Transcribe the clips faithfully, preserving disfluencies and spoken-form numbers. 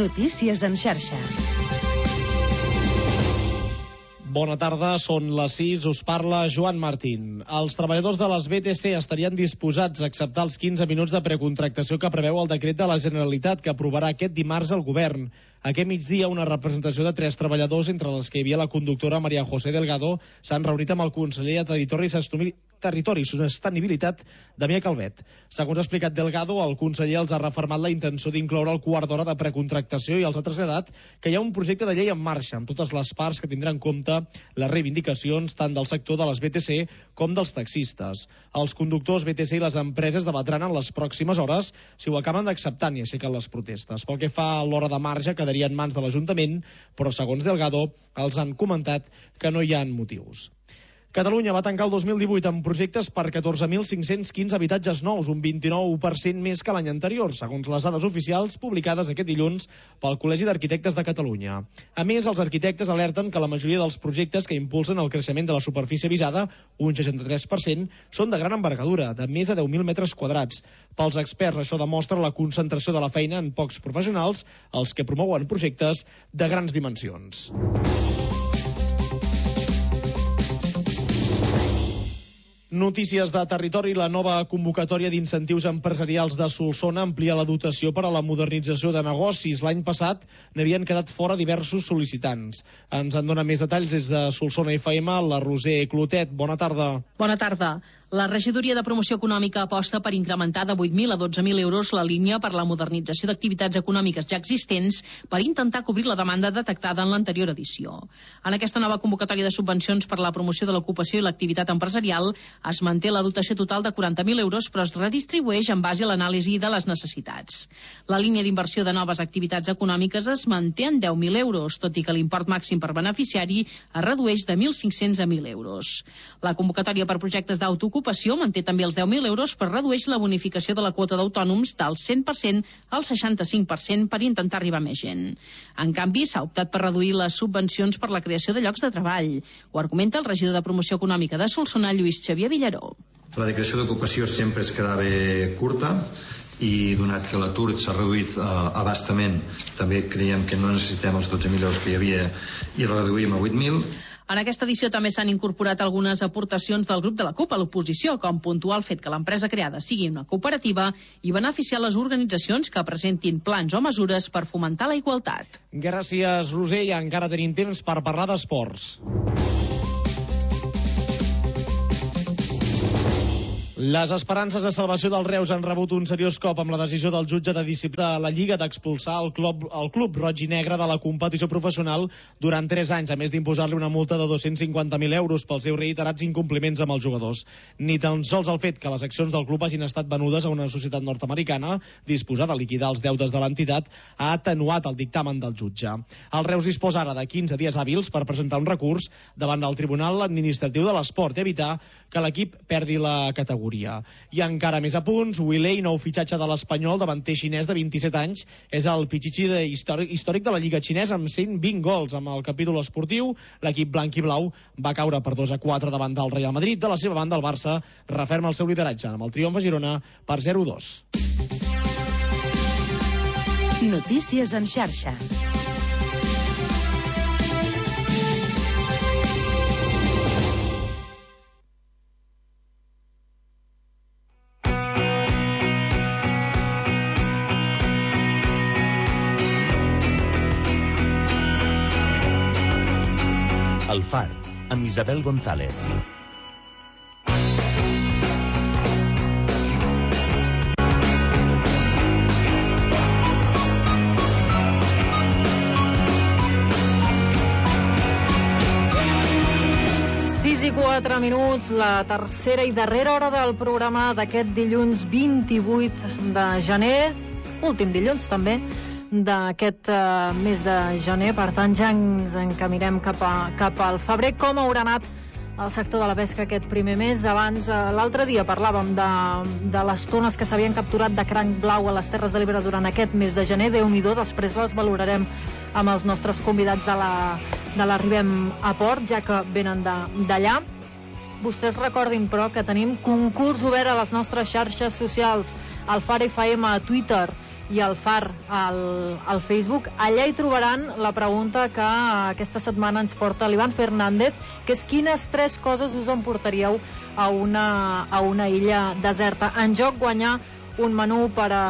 Notícies en xarxa. Bona tarda, són les sis, us parla Joan Martín. Els treballadors de les B T C estarien disposats a acceptar els quinze minuts de precontractació que preveu el decret de la Generalitat que aprovarà aquest dimarts el govern. Aquest migdia, una representació de tres treballadors, entre les que hi havia la conductora María José Delgado, s'han reunit amb el conseller de Territori i Territori i Sostenibilitat, Damià Calvet. Segons ha explicat Delgado, el conseller els ha refermat la intenció d'incloure el quart d'hora de precontractació i els ha traslladat que hi ha un projecte de llei en marxa amb totes les parts que tindran en compte les reivindicacions tant del sector de les B T C com dels taxistes. Els conductors B T C i les empreses debatran en les pròximes hores si ho acaben d'acceptar i aixequen les protestes. Pel que fa a l'hora de marge, quedaria en mans de l'Ajuntament, però segons Delgado els han comentat que no hi ha motius. Catalunya va tancar el dos mil divuit amb projectes per catorze mil cinc-cents quinze habitatges nous, un vint-i-nou per cent més que l'any anterior, segons les dades oficials publicades aquest dilluns pel Col·legi d'Arquitectes de Catalunya. A més, els arquitectes alerten que la majoria dels projectes que impulsen el creixement de la superfície visada, un seixanta-tres per cent, són de gran envergadura, de més de deu mil metres quadrats. Pels experts, això demostra la concentració de la feina en pocs professionals, els que promouen projectes de grans dimensions. Notícies de territori. La nova convocatòria d'incentius empresarials de Solsona amplia la dotació per a la modernització de negocis. L'any passat n'havien quedat fora diversos sol·licitants. Ens en dona més detalls des de Solsona F M, la Roser Clotet. Bona tarda. Bona tarda. La Regidoria de Promoció Econòmica aposta per incrementar de vuit mil a dotze mil euros la línia per la modernització d'activitats econòmiques ja existents per intentar cobrir la demanda detectada en l'anterior edició. En aquesta nova convocatòria de subvencions per la promoció de l'ocupació i l'activitat empresarial es manté la dotació total de quaranta mil euros, però es redistribueix en base a l'anàlisi de les necessitats. La línia d'inversió de noves activitats econòmiques es manté en deu mil euros, tot i que l'import màxim per beneficiari es redueix de mil cinc-cents a mil euros. La convocatòria per projectes d'autoocupació manté també els deu mil euros, però redueix la bonificació de la quota d'autònoms del cent per cent al seixanta-cinc per cent per intentar arribar a més gent. En canvi, s'ha optat per reduir les subvencions per la creació de llocs de treball. Ho argumenta el regidor de Promoció Econòmica de Solsona, Lluís Xavier Villaró. La declaració d'ocupació sempre es quedava curta i donat que l'atur s'ha reduït eh, abastament, també creiem que no necessitem els dotze mil euros que hi havia i reduïm a vuit mil. En aquesta edició també s'han incorporat algunes aportacions del grup de la CUP a l'oposició, com puntuar el fet que l'empresa creada sigui una cooperativa i beneficiar les organitzacions que presentin plans o mesures per fomentar la igualtat. Gràcies, Roser, i encara tenim temps per parlar d'esports. Les esperances de salvació del Reus han rebut un seriós cop amb la decisió del jutge de disciplina de la Lliga d'expulsar el club, el club roig i negre de la competició professional durant tres anys, a més d'imposar-li una multa de dos-cents cinquanta mil euros pels seus reiterats incompliments amb els jugadors. Ni tan sols el fet que les accions del club hagin estat venudes a una societat nord-americana disposada a liquidar els deutes de l'entitat ha atenuat el dictamen del jutge. El Reus disposa ara de quinze dies hàbils per presentar un recurs davant del Tribunal Administratiu de l'Esport i evitar que l'equip perdi la categoria. I encara més a punts, Wiley, nou fitxatge de l'Espanyol, davanter xinès de vint-i-set anys, és el pitxitxi de històric, històric de la Lliga xinesa amb cent vint gols. Amb el capítol esportiu, l'equip blanc i blau va caure per dos a quatre davant del Real Madrid. De la seva banda, el Barça referma el seu lideratge amb el triomf a Girona per zero a dos. Notícies en xarxa. El Far, amb Isabel González. sis i quatre minuts, la tercera i darrera hora del programa d'aquest dilluns vint-i-vuit de gener, últim dilluns també, d'aquest uh, mes de gener. Per tant, ja ens encaminem cap, a, cap al febrer. Com haurà anat el sector de la pesca aquest primer mes? Abans, uh, l'altre dia parlàvem de, de les tones que s'havien capturat de cranc blau a les Terres de l'Ebre durant aquest mes de gener. Déu-n'hi-do, després les valorarem amb els nostres convidats de la, de l'Arribem a Port, ja que venen d'allà. Vostès recordin, però, que tenim concurs obert a les nostres xarxes socials, al Far F M a Twitter, i el Far al, al Facebook. Allà hi trobaran la pregunta que aquesta setmana ens porta l'Ivan Fernández, que és quines tres coses us emportaríeu a una, a una illa deserta. En joc guanyar un menú per a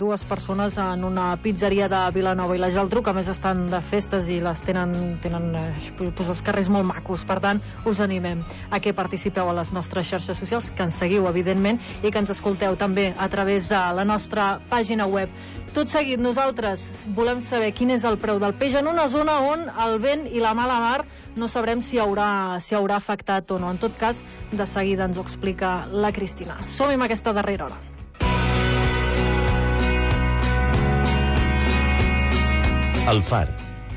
dues persones en una pizzeria de Vilanova i la Geltrú, que a més estan de festes i les tenen, tenen pues, els carrers molt macos. Per tant, us animem a que participeu a les nostres xarxes socials, que ens seguiu, evidentment, i que ens escolteu també a través de la nostra pàgina web. Tot seguit, nosaltres volem saber quin és el preu del peix en una zona on el vent i la mala mar no sabrem si haurà, si haurà afectat o no. En tot cas, de seguida ens ho explica la Cristina. Som-hi amb aquesta darrera hora. El Far,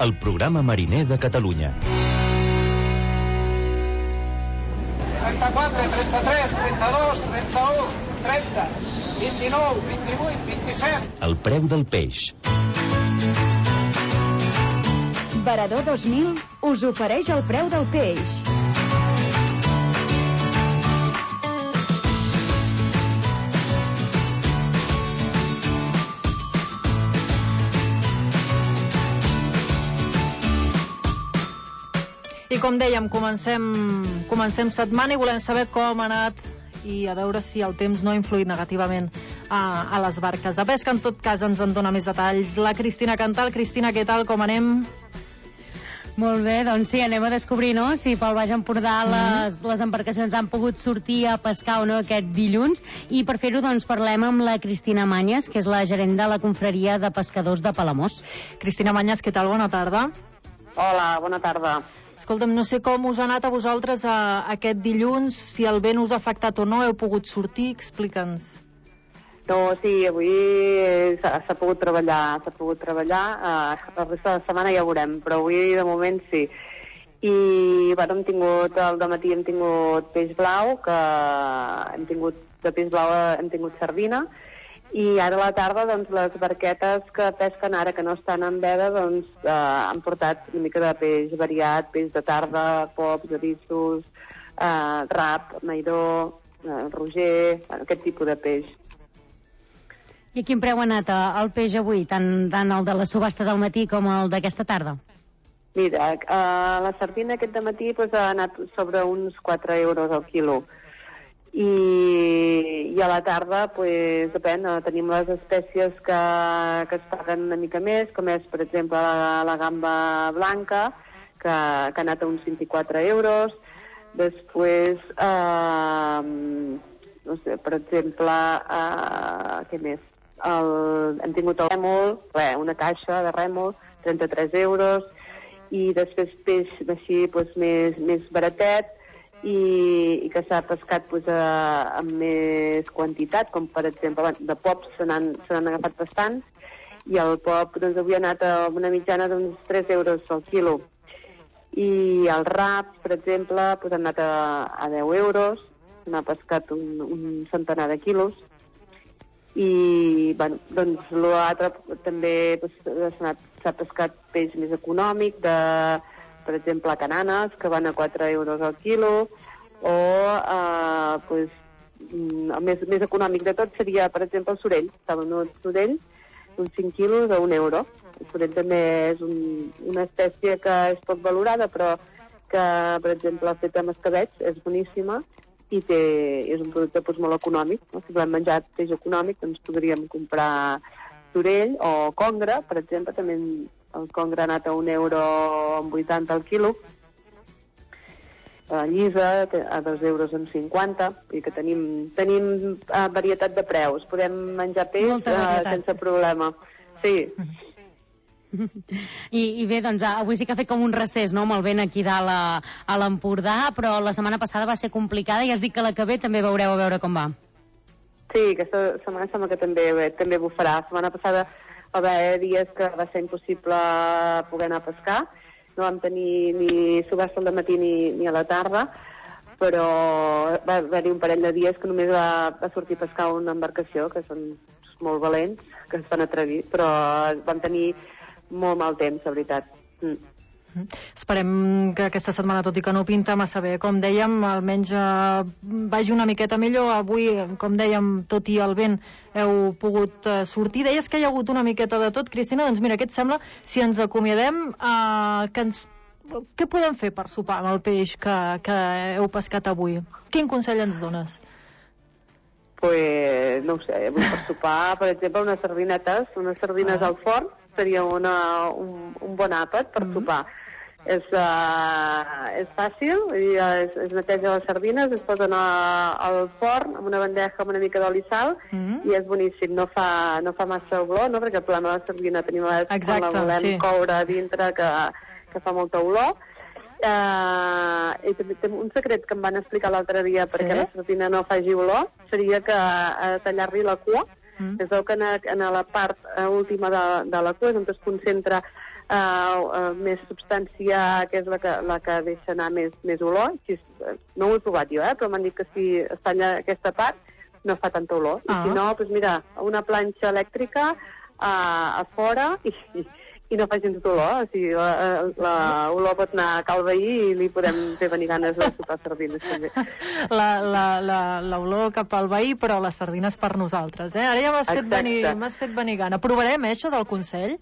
el programa mariner de Catalunya. trenta-quatre, trenta-tres, trenta-dos, trenta-u, trenta, vint-i-nou, vint-i-vuit, vint-i-set. El preu del peix. Varador dos mil us ofereix el preu del peix. I com dèiem, comencem, comencem setmana i volem saber com ha anat i a veure si el temps no ha influït negativament a, a les barques de pesca. En tot cas, ens en dona més detalls la Cristina Cantal. Cristina, què tal? Com anem? Molt bé, doncs sí, anem a descobrir, no?, si pel Baix Empordà les, les embarcacions han pogut sortir a pescar o no aquest dilluns. I per fer-ho, doncs, parlem amb la Cristina Manyes, que és la gerent de la confraria de pescadors de Palamós. Cristina Manyes, què tal? Bona tarda. Hola, bona tarda. Escolta'm, no sé com us ha anat a vosaltres a, a aquest dilluns, si el vent us ha afectat o no, heu pogut sortir, explica'ns. No, sí, avui s'ha pogut treballar, s'ha pogut treballar, eh, la resta de la setmana ja ho veurem, però avui de moment sí. I bueno, hem tingut, al dematí hem tingut peix blau, que hem tingut, de peix blau hem tingut sardina, i ara a la tarda, doncs, les barquetes que pesquen ara, que no estan en veda, doncs, eh, han portat una mica de peix variat, peix de tarda, pops, avissos, eh, rap, maidó, eh, roger, bueno, aquest tipus de peix. I a quin preu ha anat el peix avui, tant, tant el de la subhasta del matí com el d'aquesta tarda? Mira, eh, la sardina aquest dematí pues, ha anat sobre uns quatre euros al quilo. I, i a la tarda, pues, depèn, tenim les espècies que, que es paguen una mica més, com és, per exemple, la, la gamba blanca, que, que ha anat a uns vint-i-quatre euros. Després, eh, no sé, per exemple, eh, què més? El, hem tingut el rèmol, re, una caixa de rèmol, trenta-tres euros, i després peix així, pues, més, més baratet, i, i que s'ha pescat pues, a, amb més quantitat, com per exemple de pops se n'han agafat bastants, i el pop doncs, avui ha anat a una mitjana d'uns tres euros al quilo. I el rap, per exemple, pues, ha anat a, a deu euros, n'ha pescat un, un centenar de quilos, i bueno, doncs l'altre també pues, s'ha pescat peix més econòmic, de per exemple, cananes, que van a quatre euros al quilo, o eh, pues, el més, més econòmic de tot seria, per exemple, el sorell. Està venut sorell, uns cinc quilos a un euro. El sorell també és un, una espècie que és poc valorada, però que, per exemple, feta amb escabets és boníssima i té, és un producte pues, molt econòmic. No? Si volem menjar peix econòmic, doncs podríem comprar sorell o congre, per exemple, també el congre ha anat a un euro amb vuitanta al quilo, la llisa a dos euros amb cinquanta, i que tenim, tenim uh, varietat de preus, podem menjar peix uh, sense problema. Sí. I, I bé, doncs avui sí que ha fet com un recés, no?, amb el vent aquí dalt a, a l'Empordà, però la setmana passada va ser complicada i has dit que la que ve també veureu a veure com va. Sí, aquesta setmana sembla que també, bé, també bufarà. La setmana passada va haver dies que va ser impossible poder anar a pescar. No vam tenir ni subhasta al matí ni, ni a la tarda, però va haver-hi un parell de dies que només va, va sortir a pescar una embarcació, que són molt valents, que es van atrevir, però vam tenir molt mal temps, la veritat. Mm. Esperem que aquesta setmana, tot i que no pinta massa bé, com dèiem, almenys eh, vagi una miqueta millor. Avui, com dèiem, tot i el vent heu pogut eh, sortir. Deies que hi ha hagut una miqueta de tot, Cristina. Doncs mira, què et sembla si ens acomiadem? Eh, que ens... Què podem fer per sopar amb el peix que, que heu pescat avui? Quin consell ens dones? Pues, no ho sé, avui per sopar, per exemple, unes sardinetes, unes sardines ah. al forn, seria una, un, un bon àpat per mm. sopar. És, uh, és fàcil, es, es neteja les sardines, es posen a, al forn amb una bandeja amb una mica d'oli i sal mm. i és boníssim, no fa, no fa massa olor, no? Perquè el problema de la sardina tenim a vegades quan la volem sí. coure a dintre que, que fa molta olor. Uh, i també té un secret que em van explicar l'altre dia perquè sí? la sardina no faci olor seria que uh, tallar-li la cua. Mm. Es veu que en, en la part uh, última de, de la cua és on es concentra uh, uh, més substància, que és la que, la que deixa anar més, més olor. Si, no ho he provat jo, eh, però m'han dit que si es talla aquesta part no fa tanta olor. Ah. I si no, doncs mira, una planxa elèctrica uh, a fora i, i, i no fa gens d'olor. O sigui, la olor pot anar a cal veí i li podem fer venir ganes de sopar sardines també. L'olor cap al veí, però les sardines per nosaltres, eh? Ara ja m'has fet, venir, m'has fet venir gana. Provarem, eh, això del consell?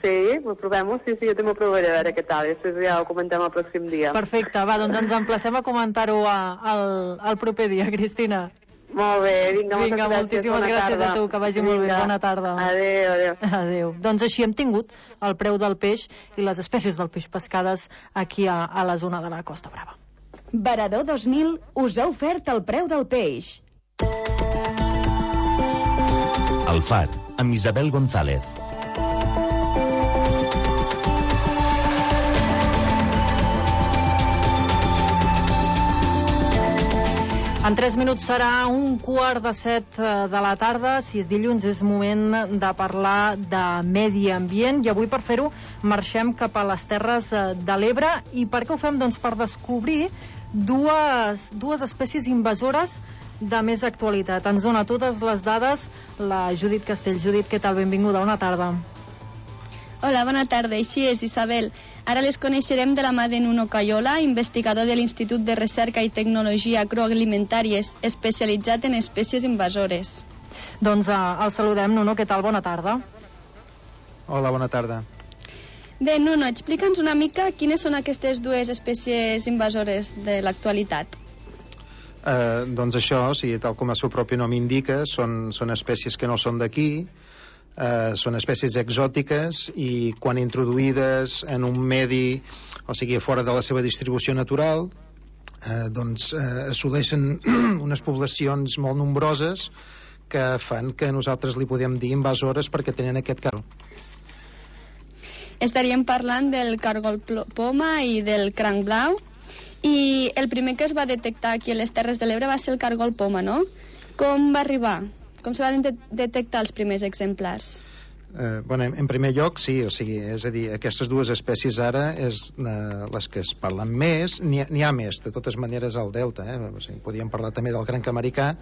Sí, ho provem-ho, sí, sí, jo també ho provaré, a veure què tal, després ja ho comentem el pròxim dia. Perfecte, va, doncs ens emplacem a comentar-ho el proper dia, Cristina. Molt bé, vinga, moltes vinga, gràcies. Moltíssimes gràcies tarda. a tu, que vagi vinga. molt bé. Bona tarda. Adéu, adéu. Adéu. Doncs així hem tingut el preu del peix i les espècies del peix pescades aquí a, a la zona de la Costa Brava. Varador dos mil us ha ofert el preu del peix. El Far, amb Isabel González. En tres minuts serà un quart de set de la tarda. Si és dilluns és moment de parlar de medi ambient i avui per fer-ho marxem cap a les Terres de l'Ebre. I per què ho fem? Doncs per descobrir dues, dues espècies invasores de més actualitat. Ens dona totes les dades la Judit Castell. Judit, què tal? Benvinguda, bona tarda. Hola, bona tarda. Així és, Isabel. Ara les coneixerem de la mà de Nuno Cayola, investigador de l'Institut de Recerca i Tecnologia Agroalimentàries, especialitzat en espècies invasores. Doncs uh, el saludem, Nuno. Què tal? Bona tarda. Hola, bona tarda. Bé, Nuno, explica'ns una mica quines són aquestes dues espècies invasores de l'actualitat. Uh, doncs això, o sigui, tal com el seu propi nom indica, són, són espècies que no són d'aquí. Uh, són espècies exòtiques i quan introduïdes en un medi, o sigui, fora de la seva distribució natural, uh, doncs uh, assoleixen unes poblacions molt nombroses que fan que nosaltres li podem dir invasores perquè tenen aquest cargol. Estaríem parlant del cargol poma i del cranc blau, i el primer que es va detectar aquí a les Terres de l'Ebre va ser el cargol poma, no? Com va arribar? Com se van de detectar els primers exemplars? Eh, bueno, en, en primer lloc, sí, o sigui, és a dir, aquestes dues espècies ara és eh, les que es parlen més, n'hi ha, ha més, de totes maneres al Delta, eh? O sigui, podríem parlar també del cranc americà,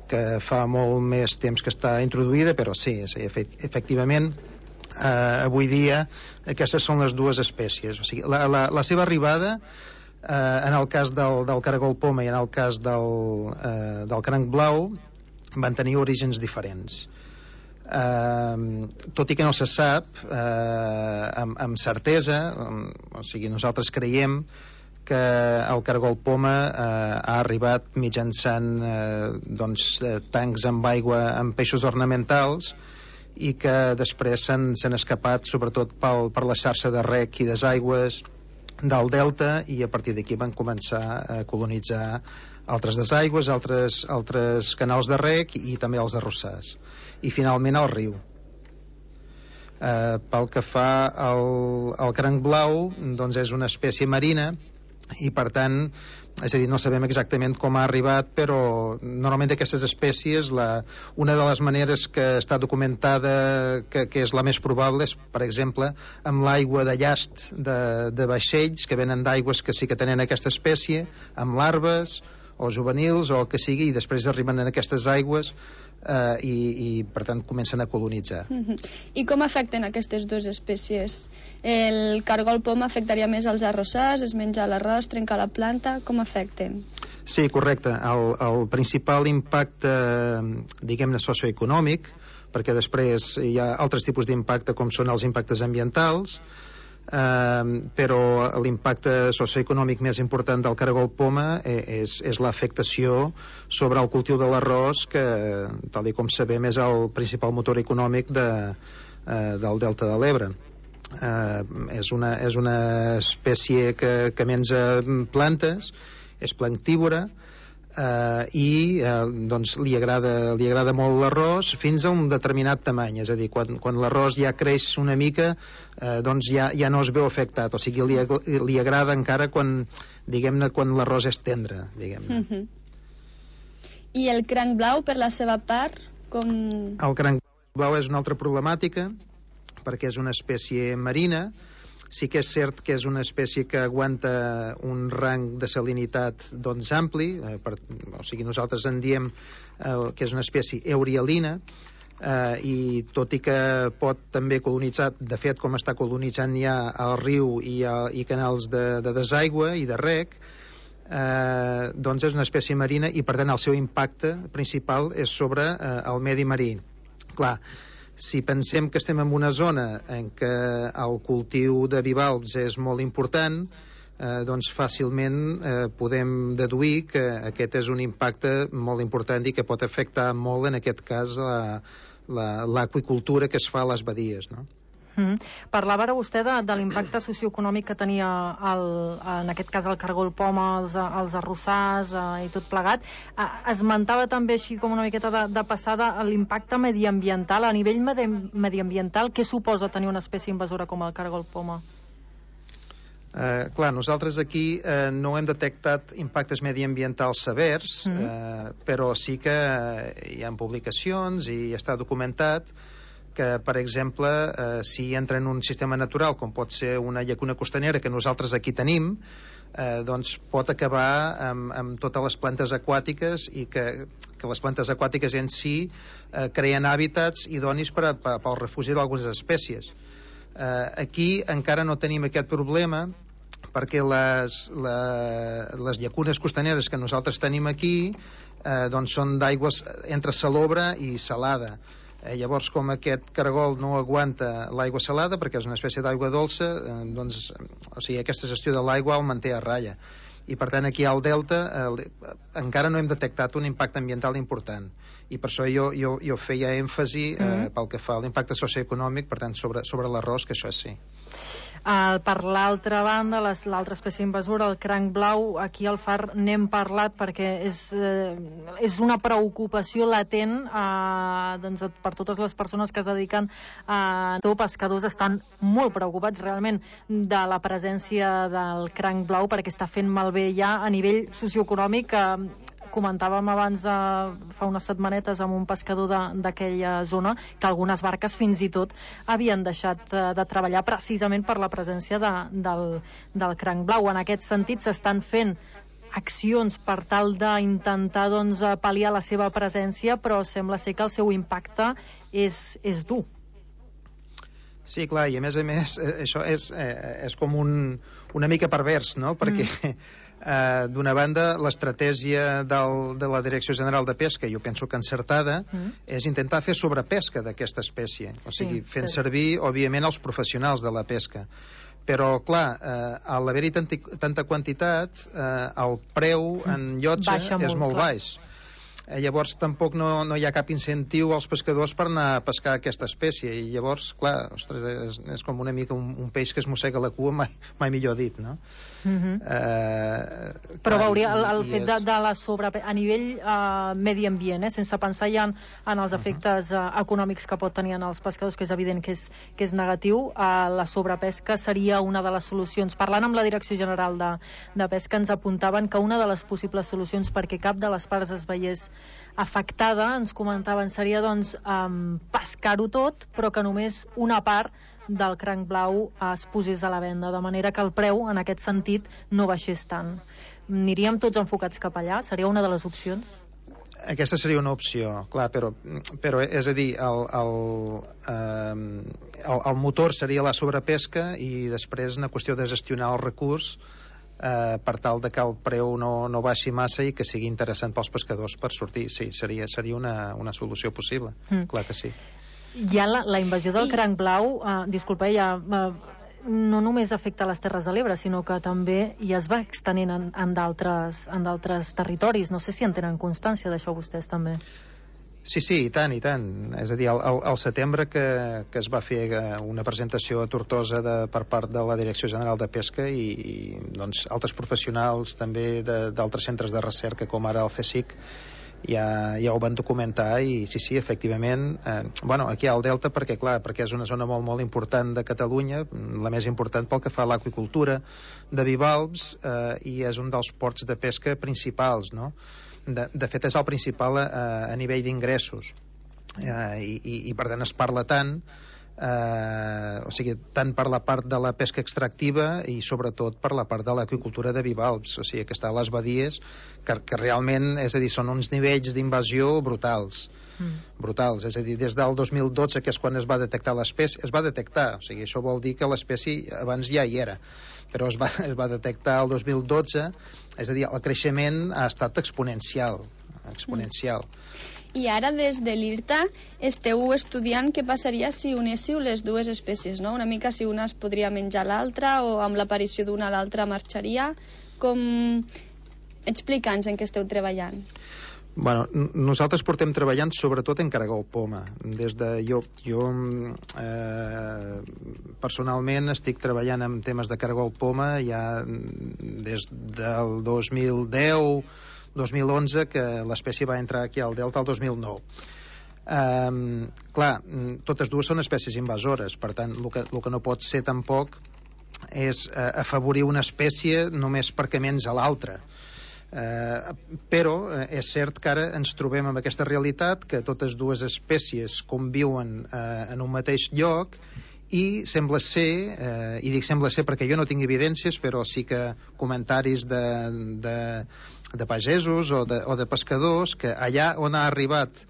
que fa molt més temps que està introduïda, però sí, sí efectivament, eh, avui dia aquestes són les dues espècies. O sigui, la, la, la seva arribada, eh, en el cas del, del caragol poma i en el cas del, eh, del cranc blau, van tenir orígens diferents. Uh, tot i que no se sap uh, amb, amb certesa, um, o sigui, nosaltres creiem que el caragol poma uh, ha arribat mitjançant uh, doncs, uh, tancs amb aigua amb peixos ornamentals i que després s'han escapat sobretot pel, per la xarxa de rec i desaigües del delta, i a partir d'aquí van començar a colonitzar altres desaigües, altres, altres canals de rec i també els arrossars, i finalment al riu. Eh, pel que fa al, al cranc blau, doncs és una espècie marina i per tant, és a dir, no sabem exactament com ha arribat, però normalment d'aquestes espècies la, una de les maneres que està documentada que, que és la més probable és, per exemple, amb l'aigua de llast de, de vaixells que venen d'aigües que sí que tenen aquesta espècie, amb larves, o juvenils o el que sigui, i després arriben en aquestes aigües eh, i, i per tant comencen a colonitzar. Uh-huh. I com afecten aquestes dues espècies? El cargol poma afectaria més als arrossars, es menja l'arròs, trenca la planta, com afecten? Sí, correcte. El, el principal impacte, diguem-ne, socioeconòmic, perquè després hi ha altres tipus d'impacte com són els impactes ambientals, eh, però l'impacte socioeconòmic més important del cargol poma és, és l'afectació sobre el cultiu de l'arròs, que, tal com sabem, és el principal motor econòmic de, eh, del Delta de l'Ebre. Eh, és, una, és una espècie que, que menja plantes, és plantívora, eh, i eh, doncs li agrada, li agrada molt l'arròs fins a un determinat tamany, és a dir, quan, quan l'arròs ja creix una mica, eh, doncs ja, ja no es veu afectat, o sigui, li, li agrada encara quan, diguem-ne, quan l'arròs és tendre, diguem-ne. Uh-huh. I el cranc blau, per la seva part, com... El cranc blau és una altra problemàtica, perquè és una espècie marina. Sí que és cert que és una espècie que aguanta un rang de salinitat doncs ampli, eh, per, o sigui, nosaltres en diem eh, que és una espècie eurialina, eh, i tot i que pot també colonitzar, de fet com està colonitzant ja el riu i, a, i canals de, de desaigua i de rec, eh, doncs és una espècie marina i per tant el seu impacte principal és sobre eh, el medi marí. Clar, si pensem que estem en una zona en què el cultiu de bivalves és molt important, eh, doncs fàcilment eh, podem deduir que aquest és un impacte molt important i que pot afectar molt, en aquest cas, l'aqüicultura que es fa a les badies, no? Mm. Parlava ara vostè de, de l'impacte socioeconòmic que tenia el, en aquest cas el cargol poma, els, els arrossars eh, i tot plegat. Eh, esmentava també així com una miqueta de, de passada l'impacte mediambiental. A nivell medi mediambiental, què suposa tenir una espècie invasora com el cargol poma? Eh, clar, nosaltres aquí eh, no hem detectat impactes mediambientals severs, mm. eh, però sí que hi ha publicacions i està documentat que, per exemple, eh, si entra en un sistema natural, com pot ser una llacuna costanera que nosaltres aquí tenim, eh, doncs pot acabar amb, amb totes les plantes aquàtiques i que, que les plantes aquàtiques en si eh, creen hàbitats idonis per a, per, pel refugi d'algunes espècies. Eh, aquí encara no tenim aquest problema perquè les, la, les llacunes costaneres que nosaltres tenim aquí eh, doncs són d'aigües entre salobra i salada. Eh, llavors, com aquest cargol no aguanta l'aigua salada, perquè és una espècie d'aigua dolça, eh, doncs, o sigui, aquesta gestió de l'aigua el manté a ratlla. I, per tant, aquí al delta eh, encara no hem detectat un impacte ambiental important. I per això jo, jo, jo feia èmfasi eh, mm-hmm. pel que fa a l'impacte socioeconòmic, per tant, sobre, sobre l'arròs, que això és sí. Uh, per l'altra banda, l'altra espècie invasora, el cranc blau, aquí al Far n'hem parlat perquè és, eh, és una preocupació latent eh, doncs, per totes les persones que es dediquen a uh, pescadors estan molt preocupats realment de la presència del cranc blau perquè està fent malbé ja a nivell socioeconòmic. Eh, comentàvem abans, eh, fa unes setmanetes, amb un pescador d'aquella zona, que algunes barques fins i tot havien deixat eh, de treballar precisament per la presència de, del, del cranc blau. En aquest sentit s'estan fent accions per tal d'intentar doncs, pal·liar la seva presència, però sembla ser que el seu impacte és, és dur. Sí, clar, i a més a més això és, eh, és com un, una mica pervers, no? Perquè mm. eh, d'una banda l'estratègia del, de la Direcció General de Pesca, jo penso que encertada, mm. és intentar fer sobrepesca d'aquesta espècie, o sigui, sí, fent sí. servir, òbviament, els professionals de la pesca. Però, clar, eh, a l'haver-hi tanta quantitat, eh, el preu en llotja Baixa és molt, molt baix. Eh, llavors tampoc no, no hi ha cap incentiu als pescadors per anar a pescar aquesta espècie, i llavors, clar, ostres, és, és com una mica un, un peix que es mossega la cua, mai, mai millor dit, no? Mm-hmm. eh, Però clar, veuria, el, el fet és... de, de la sobre... a nivell eh, medi ambient, eh, sense pensar ja en, en els efectes eh, econòmics que pot tenir en els pescadors, que és evident que és, que és negatiu, eh, la sobrepesca seria una de les solucions. Parlant amb la Direcció General de, de Pesca, ens apuntaven que una de les possibles solucions perquè cap de les parts es veiés afectada, ens comentaven, seria doncs um, pescar-ho tot, però que només una part del cranc blau es posés a la venda, de manera que el preu, en aquest sentit, no baixés tant. Aniríem tots enfocats cap allà? Seria una de les opcions? Aquesta seria una opció, clar, però, però és a dir, el, el, eh, el, el motor seria la sobrepesca i després una qüestió de gestionar el recurs eh, per tal de que el preu no, no baixi massa i que sigui interessant pels pescadors per sortir. Sí, seria, seria una, una solució possible, mm. clar que sí. Ja la, la invasió del I... cranc blau, eh, disculpa, ja... Eh, no només afecta les Terres de l'Ebre, sinó que també ja es va extenent en, en d'altres territoris. No sé si en tenen constància d'això vostès també. Sí, sí, i tant, i tant. És a dir, al, al setembre que, que es va fer una presentació a Tortosa de, per part de la Direcció General de Pesca i, i doncs, altres professionals també d'altres centres de recerca com ara el CSIC ja, ja ho van documentar i sí, sí, efectivament eh, bueno, aquí al Delta perquè clar, perquè és una zona molt, molt important de Catalunya, la més important pel que fa a l'aqüicultura de bivalves eh, i és un dels ports de pesca principals, no? De, de fet és el principal a, a nivell d'ingressos eh, i, i, i per tant es parla tant eh, o sigui, tant per la part de la pesca extractiva i sobretot per la part de l'aqüicultura de bivalves, o sigui que està a les badies que, que realment, és a dir, són uns nivells d'invasió brutals mm. brutals, és a dir, des del dos mil dotze que és quan es va detectar l'espècie, es va detectar, o sigui, això vol dir que l'espècie abans ja hi era, però es va, es va detectar el dos mil dotze, és a dir, el creixement ha estat exponencial exponencial mm. I ara des de l'I R T A esteu estudiant què passaria si unéssiu les dues espècies, no? Una mica si una es podria menjar l'altra o amb l'aparició d'una l'altra marxaria. Com... Explica'ns en què esteu treballant. Bueno, nosaltres portem treballant sobretot en caragol poma. Des de jo, jo eh, personalment estic treballant en temes de caragol poma ja des del dos mil deu dos mil onze, que l'espècie va entrar aquí al Delta el dos mil nou. Um, clar, totes dues són espècies invasores, per tant, el que, el que no pot ser tampoc és uh, afavorir una espècie només perquè menja l'altra. Uh, però uh, és cert que ara ens trobem amb aquesta realitat que totes dues espècies conviuen uh, en un mateix lloc i sembla ser, eh, i dic sembla ser perquè jo no tinc evidències, però sí que comentaris de, de, de pagesos o de, o de pescadors, que allà on ha arribat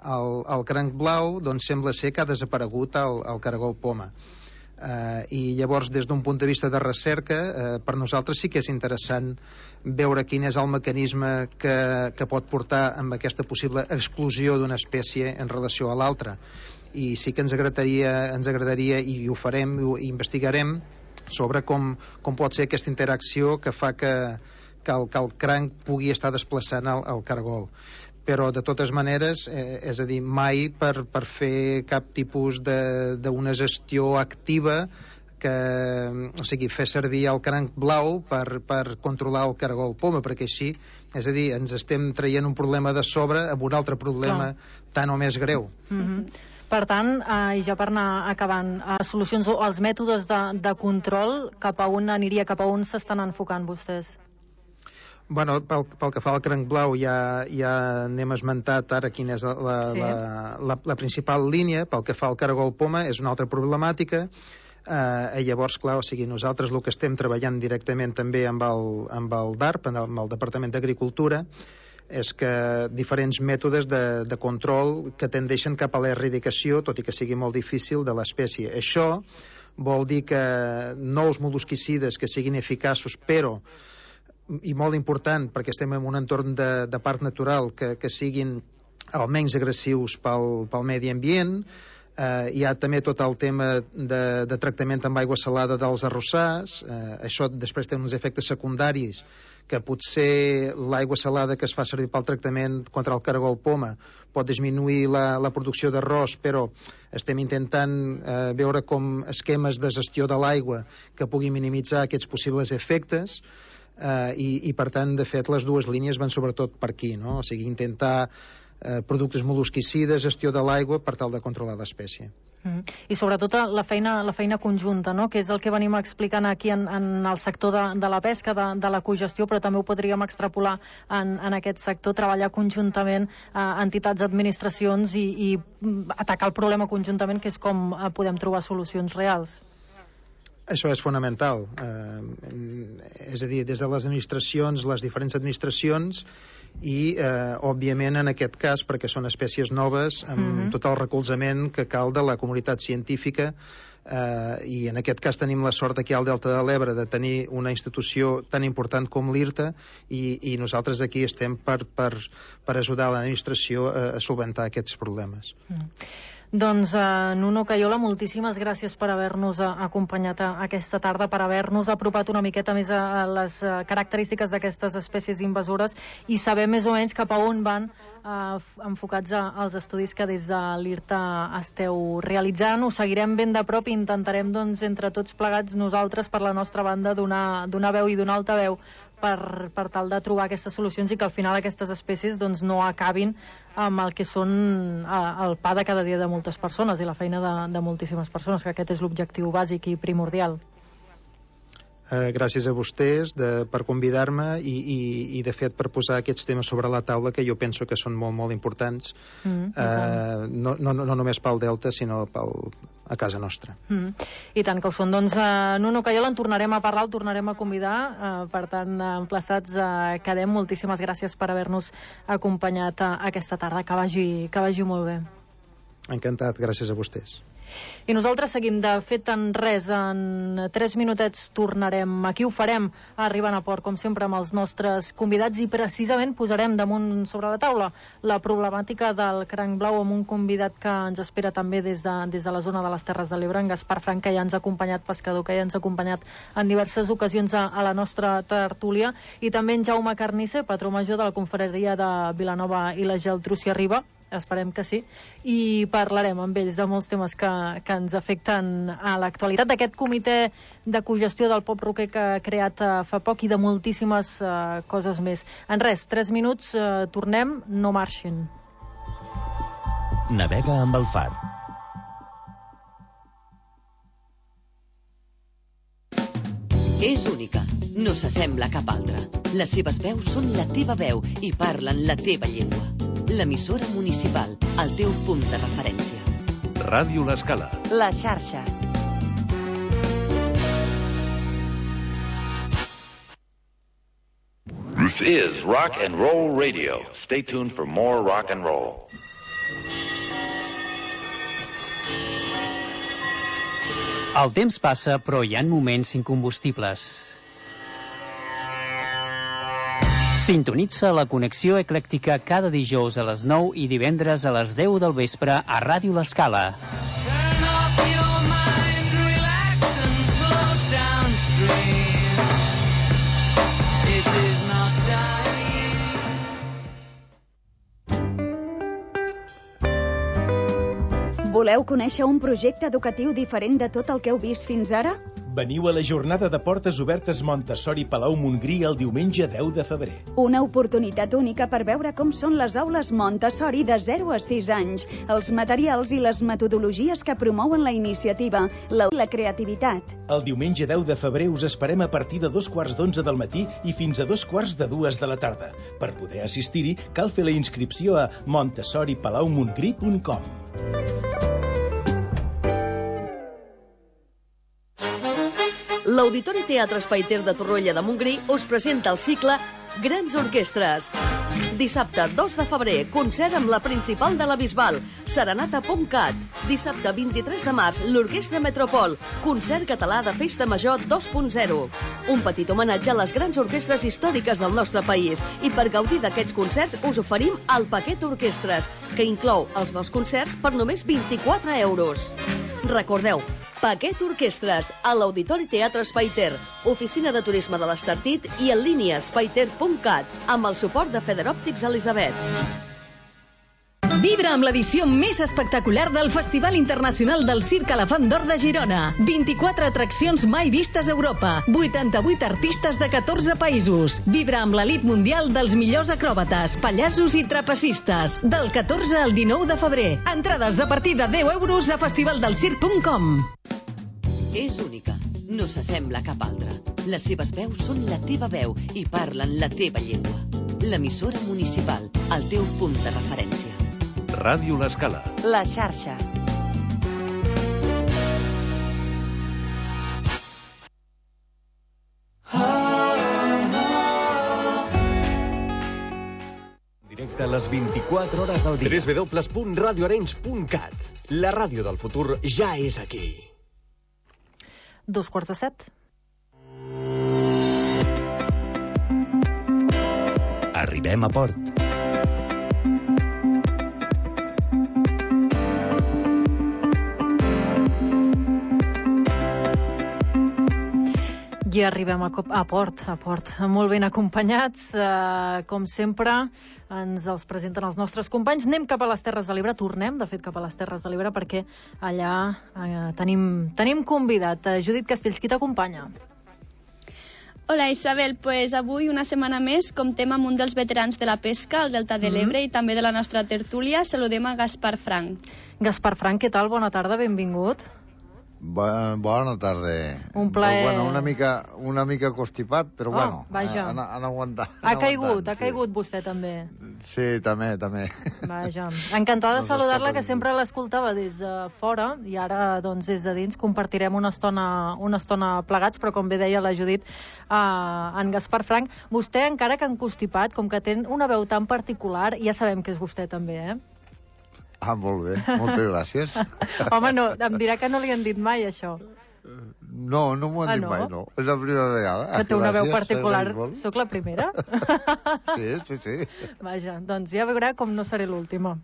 el, el cranc blau, doncs sembla ser que ha desaparegut el, el caragol poma. Eh, I llavors, des d'un punt de vista de recerca, eh, per nosaltres sí que és interessant veure quin és el mecanisme que, que pot portar amb aquesta possible exclusió d'una espècie en relació a l'altra. I sí que ens agradaria, ens agradaria i ho farem, i investigarem sobre com, com pot ser aquesta interacció que fa que, que, el, que el cranc pugui estar desplaçant el, el caragol. Però de totes maneres, eh, és a dir, mai per, per fer cap tipus d'una gestió activa que, o sigui, fer servir el cranc blau per, per controlar el caragol poma, perquè així, és a dir, ens estem traient un problema de sobre amb un altre problema Clar. Tan o més greu. Mm-hmm. Per tant, eh, i ja per anar acabant, eh, solucions o els mètodes de, de control, cap a on aniria, cap a on s'estan enfocant vostès? Bueno, pel, pel que fa al cranc blau ja, ja n'hem esmentat ara quina és la, sí. la, la, la principal línia. Pel que fa al caragol poma és una altra problemàtica. Eh, llavors, clar, o sigui, nosaltres el que estem treballant directament també amb el, amb el D A R P, amb el Departament d'Agricultura, és que diferents mètodes de, de control que tendeixen cap a l'erradicació, tot i que sigui molt difícil, de l'espècie. Això vol dir que nous mol·lusquicides que siguin eficaços, però, i molt important, perquè estem en un entorn de, de parc natural, que, que siguin almenys agressius pel, pel medi ambient. Eh, hi ha també tot el tema de, de tractament amb aigua salada dels arrossars. Eh, això després té uns efectes secundaris que potser l'aigua salada que es fa servir pel tractament contra el caragol poma pot disminuir la, la producció d'arròs, però estem intentant eh, veure com esquemes de gestió de l'aigua que pugui minimitzar aquests possibles efectes eh, i, i per tant, de fet, les dues línies van sobretot per aquí, no? O sigui, intentar eh, productes mol·lusquicides, gestió de l'aigua per tal de controlar l'espècie. Mm. I sobretot la feina, la feina conjunta, no? Que és el que venim explicant aquí en, en el sector de, de la pesca, de, de la cogestió, però també ho podríem extrapolar en, en aquest sector, treballar conjuntament eh, entitats, administracions i, i atacar el problema conjuntament, que és com eh, podem trobar solucions reals. Això és fonamental. Eh, és a dir, des de les administracions, les diferents administracions, i, eh, òbviament, en aquest cas, perquè són espècies noves, amb mm-hmm. tot el recolzament que cal de la comunitat científica, eh, i en aquest cas tenim la sort aquí al Delta de l'Ebre de tenir una institució tan important com l'IRTA, i, i nosaltres aquí estem per, per, per ajudar l'administració a, a solventar aquests problemes. Mm. Doncs, uh, Nuno Cayola, moltíssimes gràcies per haver-nos uh, acompanyat uh, aquesta tarda, per haver-nos apropat una miqueta més a, a les uh, característiques d'aquestes espècies invasores i saber més o menys cap a on van uh, enfocats a, als estudis que des de l'IRTA esteu realitzant. Ho seguirem ben de prop i intentarem, doncs, entre tots plegats, nosaltres, per la nostra banda, donar, donar veu i donar altaveu per, per tal de trobar aquestes solucions i que al final aquestes espècies doncs, no acabin amb el que són eh, el pa de cada dia de moltes persones i la feina de, de moltíssimes persones, que aquest és l'objectiu bàsic i primordial. Eh, gràcies a vostès de, per convidar-me i, i, i de fet per posar aquests temes sobre la taula que jo penso que són molt molt importants, mm, eh, no, no, no només pel Delta sinó pel, a casa nostra. Mm, I tant que ho són. Doncs uh, Nuno Cayola, en tornarem a parlar, el tornarem a convidar, uh, per tant, uh, emplaçats uh, quedem. Moltíssimes gràcies per haver-nos acompanyat uh, aquesta tarda, que vagi, que vagi molt bé. Encantat, gràcies a vostès. I nosaltres seguim, de fet, en res, en tres minutets tornarem. Aquí ho farem, arribant a port, com sempre, amb els nostres convidats, i precisament posarem damunt sobre la taula la problemàtica del cranc blau amb un convidat que ens espera també des de, des de la zona de les Terres de l'Ebre, en Gaspar Frank, que ja ens ha acompanyat, pescador, que ja ens ha acompanyat en diverses ocasions a, a la nostra tertúlia, i també en Jaume Carnisser, patró major de la confraria de Vilanova i la Geltrú, si arriba. Esperem que sí, i parlarem amb ells de molts temes que, que ens afecten a l'actualitat, d'aquest comitè de cogestió del Pop Roquer que ha creat uh, fa poc i de moltíssimes uh, coses més. En res, tres minuts, uh, tornem, no marxin. Navega amb el far. És única, no s'assembla a cap altra. Les seves veus són la teva veu i parlen la teva llengua. L'emissora municipal, el teu punt de referència. Ràdio L'Escala. La xarxa. This is Rock and Roll Radio. Stay tuned for more rock and roll. El temps passa, però hi ha moments incombustibles. Sintonitza la connexió eclèctica cada dijous a les nou i divendres a les deu del vespre a Ràdio L'Escala. Voleu conèixer un projecte educatiu diferent de tot el que heu vist fins ara? Veniu a la jornada de portes obertes Montessori Palau Montgrí el diumenge deu de febrer. Una oportunitat única per veure com són les aules Montessori de zero a sis anys, els materials i les metodologies que promouen la iniciativa, la, la creativitat. El diumenge deu de febrer us esperem a partir de dos quarts d'onze del matí i fins a dos quarts de dues de la tarda. Per poder assistir-hi, cal fer la inscripció a montessori palau montgrí punt com. L'Auditori Teatre Espai Ter de Torroella de Montgrí us presenta el cicle Grans Orquestres. Dissabte dos de febrer, concert amb la principal de la Bisbal, Serenata Pomcat. Dissabte vint-i-tres de març, l'Orquestra Metropol, concert català de Festa Major dos punt zero. Un petit homenatge a les grans orquestres històriques del nostre país. I per gaudir d'aquests concerts us oferim el paquet Orquestres, que inclou els dos concerts per només vint-i-quatre euros. Recordeu, paquet Orquestres a l'Auditori Teatre Espai Ter, oficina de turisme de l'Estartit i en línia espaiter punt cat, amb el suport de Federòptics Elisabet. Vibra amb l'edició més espectacular del Festival Internacional del Circ Elefant d'Or de Girona. vint-i-quatre atraccions mai vistes a Europa. vuitanta-vuit artistes de catorze països. Vibra amb l'elit mundial dels millors acròbates, pallassos i trapecistes. Del catorze al dinou de febrer. Entrades a partir de deu euros a festivaldelsirc punt com. És única. No s'assembla a cap altra. Les seves veus són la teva veu i parlen la teva llengua. L'emissora municipal, el teu punt de referència. Ràdio L'Escala. La xarxa. Directe a les vint-i-quatre hores del dia. w w w punt radio arenys punt cat. La ràdio del futur ja és aquí. Dos quarts de set. Arribem a port. I arribem a, cop, a port, a port, molt ben acompanyats. Eh, com sempre, ens els presenten els nostres companys. Anem cap a les Terres de l'Ebre, tornem, de fet, cap a les Terres de l'Ebre, perquè allà eh, tenim, tenim convidat. Eh, Judit Castells, qui t'acompanya? Hola Isabel, pues avui una setmana més comptem amb un dels veterans de la pesca al Delta de l'Ebre mm-hmm. i també de la nostra tertúlia. Saludem a Gaspar Frank. Gaspar Frank, què tal? Bona tarda, benvingut. Bona, bona tarda. Un plaer. Bueno, una mica, una mica constipat, però oh, bueno, vaja. han, han aguantat. Ha caigut, ha caigut sí. vostè també. Sí, també, també. Vaja. Encantada de saludar-la, que sempre l'escoltava des de fora i ara, doncs, des de dins compartirem una estona, una estona plegats, però com bé deia la Judit, uh, en Gaspar Frank, vostè, encara que encostipat, com que té una veu tan particular, ja sabem que és vostè també, eh? Ah, molt bé, moltes gràcies. Home, no, em dirà que no li han dit mai, això. No, no m'ho han ah, dit no? mai, no. És la primera vegada. Que té una gràcies, veu particular. Soc la primera? Sí, sí, sí. Vaja, doncs ja veurà com no seré l'última.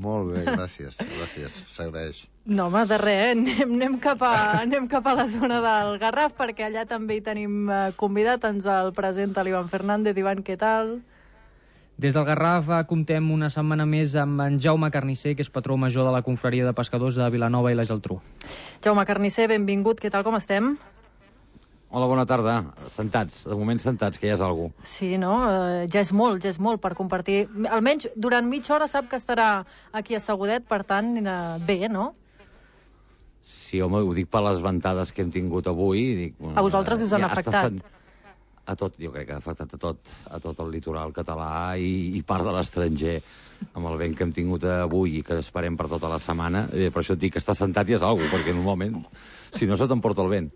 Molt bé, gràcies, gràcies, s'agraeix. No, home, de res, anem, anem, cap a, anem cap a la zona del Garraf, perquè allà també hi tenim convidat, ens el presenta l'Ivan Fernández. Ivan, què tal? Des del Garraf comptem una setmana més amb en Jaume Carnisser, que és patró major de la Confraria de Pescadors de Vilanova i la Geltrú. Jaume Carnisser, benvingut. Què tal, com estem? Hola, bona tarda. Sentats, de moment sentats, que ja és algú. Sí, no? Uh, ja és molt, ja és molt per compartir. Almenys durant mitja hora sap que estarà aquí assegudet, per tant, uh, bé, no? Sí, home, ho dic per les ventades que hem tingut avui. Dic, uh, a vosaltres us han ja afectat? Sen... A tot, jo crec que ha afectat a tot, a tot el litoral català i, i part de l'estranger, amb el vent que hem tingut avui i que esperem per tota la setmana. Eh, per això et dic que estar sentat ja és alguna cosa, perquè normalment, si no, se t'emporta el vent.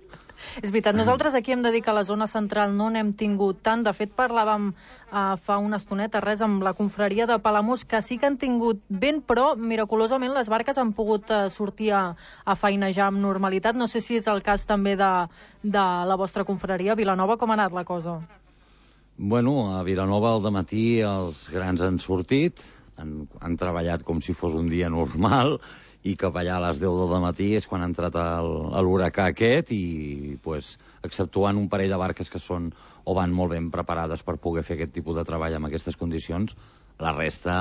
És veritat, nosaltres aquí hem de dir que a la zona central no n'hem tingut tant. De fet, parlàvem uh, fa una estoneta, res, amb la confraria de Palamós, que sí que han tingut vent, però miraculosament les barques han pogut uh, sortir a, a feinejar amb normalitat. No sé si és el cas també de, de la vostra confraria. A Vilanova, com ha anat la cosa? Bueno, a Vilanova al dematí els grans han sortit, han, han treballat com si fos un dia normal, i cap allà a les deu del matí és quan ha entrat l'huracà aquest i, pues, exceptuant un parell de barques que són o van molt ben preparades per poder fer aquest tipus de treball en aquestes condicions, la resta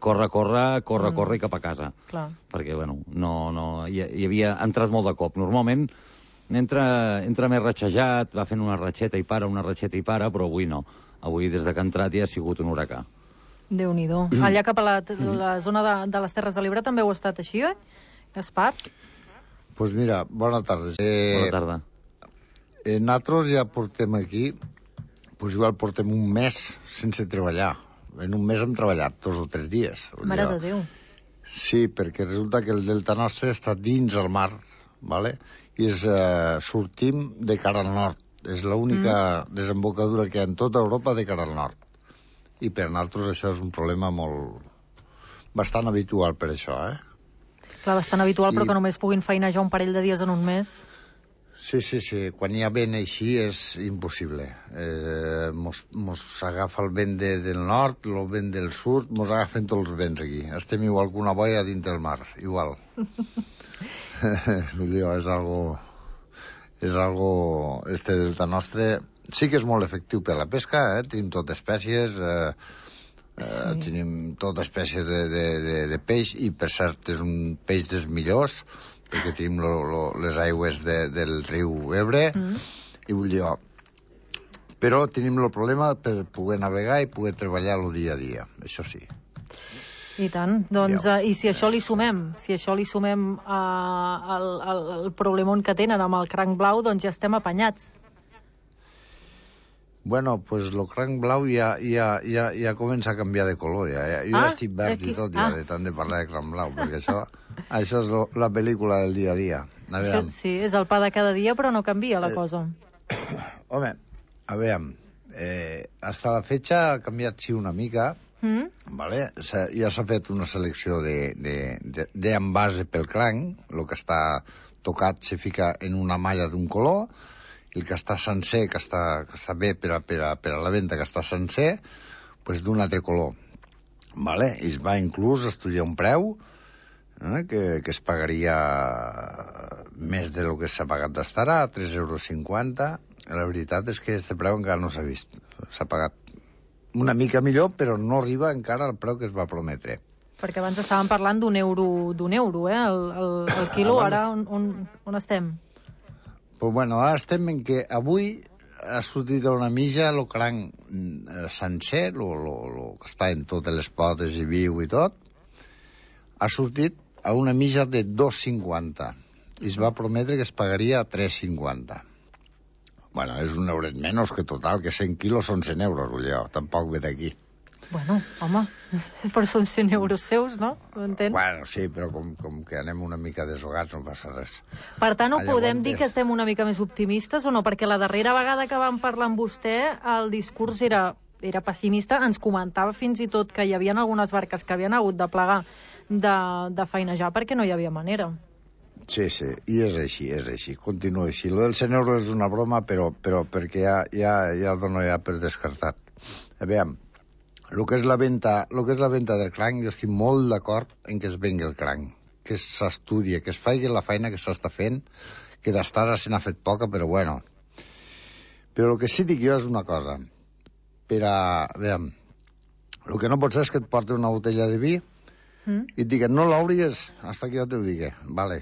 corre, corre, corre, mm. corre i cap a casa. Clar. Perquè, bueno, no, no, hi, hi havia entrat molt de cop. Normalment entra, entra més ratxejat, va fent una ratxeta i para, una ratxeta i para, però avui no. Avui, des de que ha entrat, ja ha sigut un huracà. Déu-n'hi-do. Mm. Allà cap a la, la zona de, de les Terres de l'Ebre també ho ha estat així, eh? Gaspar? Doncs pues mira, bona tarda. Eh, bona tarda. Eh, nosaltres ja portem aquí, pues igual portem un mes sense treballar. En un mes hem treballat dos o tres dies. Mare de Déu. Sí, perquè resulta que el delta nostre està dins el mar, ¿vale? I és, eh, sortim de cara al nord. És l'única mm. desembocadura que hi ha en tota Europa de cara al nord. I per nosaltres això és un problema molt... bastant habitual per això, eh? Clar, bastant habitual, I... però que només puguin feinejar un parell de dies en un mes. Sí, sí, sí. Quan hi ha vent així és impossible. Eh, mos, mos agafa el vent de, del nord, el vent del sud, mos agafen tots els vents aquí. Estem igual que una boia dintre el mar, igual. Vull dir, és algo... És algo... Este delta nostre... Sí que és molt efectiu per la pesca, eh? Tenim tot espècies, eh, Sí. Uh, tenim tota espècie de, de, de, de peix, i per cert és un peix dels millors, perquè tenim lo, lo, les aigües de, del riu Ebre, mm. i vull dir, oh, però tenim el problema per poder navegar i poder treballar el dia a dia, això sí. I tant, doncs, uh, i si això li sumem, si això li sumem uh, el, el, el problemon que tenen amb el cranc blau, doncs ja estem apanyats. Bueno, pues el cranc blau ja, ja, ja, ja comença a canviar de color. Ja. Jo ah, ja estic verd aquí. I tot, ja, ah. de tant de parlar de cranc blau, perquè això, això és lo, la pel·lícula del dia a dia. A això, sí, és el pa de cada dia, però no canvia la eh, cosa. Home, a veure, eh, hasta la fetge ha canviat, sí, una mica, mm? vale? Ja s'ha fet una selecció d'envase pel cranc, el que està tocat se fica en una malla d'un color, el que està sencer, que està, que està bé per a, per, a, per a la venda, que està sencer, pues d'un altre color. Vale? I es va inclús estudiar un preu eh, que, que es pagaria més del que s'ha pagat d'estar a tres euros cinquanta. La veritat és que aquest preu encara no s'ha vist. S'ha pagat una mica millor, però no arriba encara al preu que es va prometre. Perquè abans estàvem parlant d'un euro, d'un euro, eh? El, el, el quilo, abans... ara on, on, on estem? Pues bueno, ara estem en què avui ha sortit una mitja el cranc eh, sencer, el que està en totes les potes i viu i tot, ha sortit a una mitja de dos cinquanta. I es va prometre que es pagaria a tres cinquanta. Bueno, és un euret menys que total, que cent quilos són cent euros, vull dir, tampoc ve d'aquí. Bueno, home, però són cent euros seus, no? Ho entens? Bueno, sí, però com, com que anem una mica desogats no passa res. Per tant, ho podem dir que estem una mica més optimistes o no? Perquè la darrera vegada que vam parlar amb vostè, el discurs era, era pessimista, ens comentava fins i tot que hi havia algunes barques que havien hagut de plegar de, de feinejar perquè no hi havia manera. Sí, sí, i és així, és així, continua així. Lo del cent euros és una broma, però, però perquè ja, ja, ja el dono ja per descartat. A veure, el que és la venda, el que és la venda del cranc, jo estic molt d'acord en que es vengui el cranc, que s'estudia, que es faci la feina que s'està fent, que d'estar se n'ha fet poca, però bueno. Però el que sí dic jo és una cosa, per a... a veure, el que no pot ser és que et porti una botella de vi mm. i et diguen, no l'obris, hasta que jo te ho digui, vale.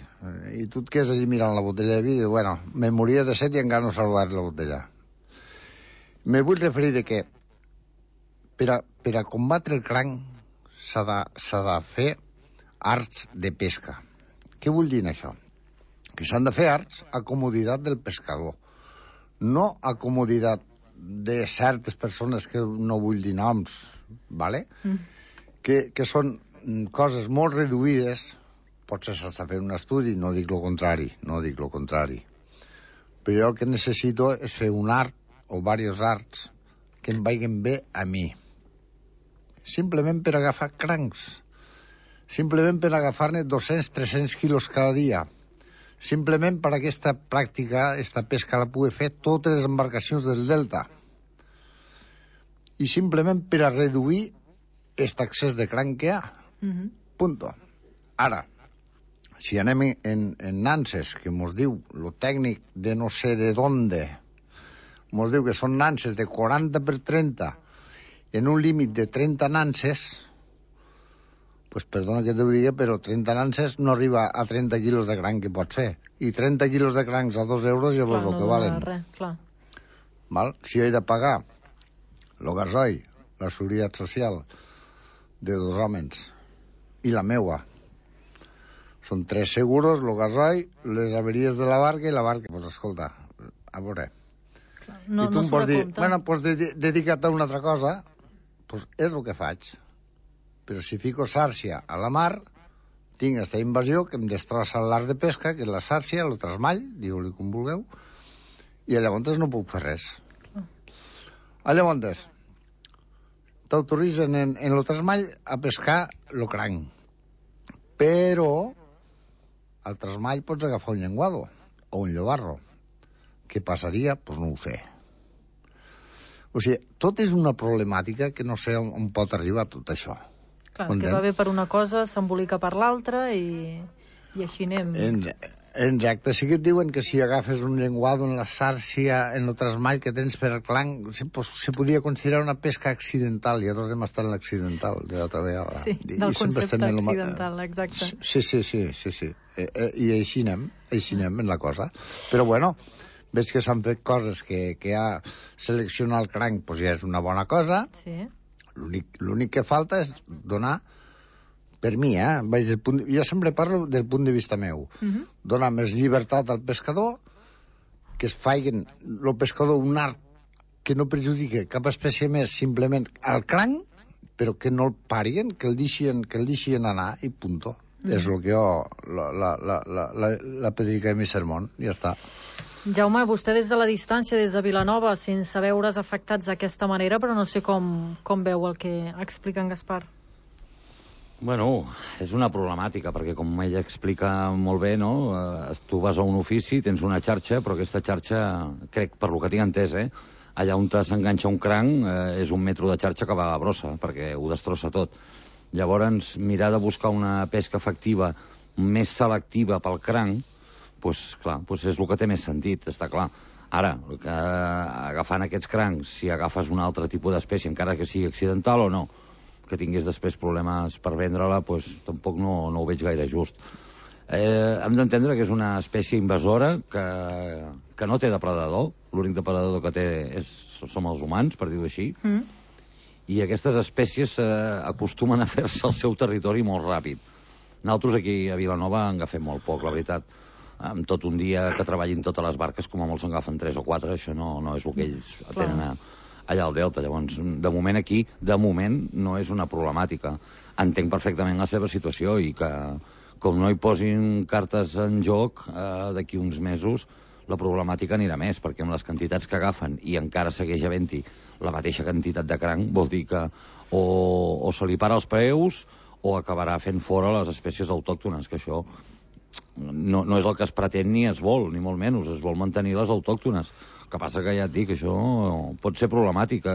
I tu et quedes allí mirant la botella de vi i dius, bueno, me moria de set i encara no s'ha obert la botella. Me vull referir de que Per a, per a combatre el cranc s'ha de, s'ha de fer arts de pesca. Què vull dir això? Que s'han de fer arts a comoditat del pescador, no a comoditat de certes persones que no vull dir noms, ¿vale? Mm. que, que són coses molt reduïdes. Potser s'està fent un estudi, no dic el contrari, no dic el contrari. Però jo el que necessito és fer un art o diversos arts que em vagin bé a mi. Simplement per agafar crancs, simplement per agafar-ne dos-cents tres-cents quilos cada dia, simplement per aquesta pràctica, aquesta pesca la pugui fer totes les embarcacions del Delta, i simplement per a reduir aquest excés de cranc que hi ha. Mm-hmm. Punto. Ara, si anem en, en nanses, que mos diu lo tècnic de no sé de donde, mos diu que són nanses de quaranta per trenta, en un límit de trenta nanses, pues perdona que t'ho digui, però trenta nanses no arriba a trenta quilos de cranc que pots fer. I trenta quilos de crancs a dos euros ja veus el que valen. Res, clar. Val? Si he de pagar el gasoil, la seguretat social de dos homes i la meua, són tres seguros, el gasoil, les averies de la barca i la barca. Pues escolta, a veure... No, I tu no em pots dir, bueno, pues dedica't a una altra cosa, pues és el que faig. Però si fico sàrcia a la mar, tinc aquesta invasió que em destrossa l'art de pesca, que és la sàrcia, el trasmall, diu-li com vulgueu, i llavors no puc fer res. Llavors, t'autoritzen en, en el trasmall a pescar el cranc, però al trasmall pots agafar un llenguado o un llobarro. Què passaria? Doncs pues no ho sé. O sigui, tot és una problemàtica que no sé on, on pot arribar tot això. Clar, que va bé per una cosa, s'embolica per l'altra i... I així anem... Exacte, sí que et diuen que si agafes un llenguado en la xarxa, en el trasmall que tens per el clanc, se, pues, se podia considerar una pesca accidental, i ja tornem a estar en l'accidental de l'altra vegada. Sí, I, del i concepte accidental, ma... exacte. Sí, sí, sí, sí, sí. Eh, eh, I així anem, així anem en la cosa. Però bueno, veig que s'han fet coses que, que ja seleccionar el cranc pues ja és una bona cosa. Sí. L'únic que falta és donar, per mi, eh? Vaig del punt, jo sempre parlo del punt de vista meu. Uh-huh. Donar més llibertat al pescador, que es faiguen el pescador un art que no perjudique cap espècie més, simplement al cranc, però que no el parien, que el deixien, que el deixien anar, i punto. Uh-huh. És el que jo la, la, la, la, la, la predica de mi sermón, i ja està. Jaume, vostè des de la distància, des de Vilanova, sense veure's afectats d'aquesta manera, però no sé com, com veu el que explica en Gaspar. Bueno, és una problemàtica, perquè com ell explica molt bé, no? Eh, tu vas a un ofici, tens una xarxa, però aquesta xarxa, crec, per lo que tinc entès, eh? Allà on s'enganxa un cranc eh, és un metro de xarxa que va a brossa, perquè ho destrossa tot. Llavors, mirar de buscar una pesca efectiva més selectiva pel cranc, doncs, clar, doncs és el que té més sentit, està clar. Ara, que, agafant aquests crancs, si agafes un altre tipus d'espècie, encara que sigui accidental o no, que tingués després problemes per vendre-la, doncs tampoc no, no ho veig gaire just. Eh, hem d'entendre que és una espècie invasora que, que no té depredador, l'únic depredador que té és, som els humans, per dir-ho així, mm. i aquestes espècies eh, acostumen a fer-se al seu territori molt ràpid. Nosaltres aquí a Vilanova en agafem molt poc, la veritat. Amb tot un dia que treballin totes les barques, com a molts en agafen tres o quatre, això no, no és el que ells tenen a... allà al Delta. Llavors, de moment aquí, de moment, no és una problemàtica. Entenc perfectament la seva situació i que, com no hi posin cartes en joc, eh, d'aquí uns mesos, la problemàtica anirà més, perquè amb les quantitats que agafen i encara segueix havent-hi la mateixa quantitat de cranc, vol dir que o, o se li para els preus o acabarà fent fora les espècies autòctones, que això no, no és el que es pretén ni es vol, ni molt menys, es vol mantenir les autòctones. El que passa que ja et dic, això pot ser problemàtic.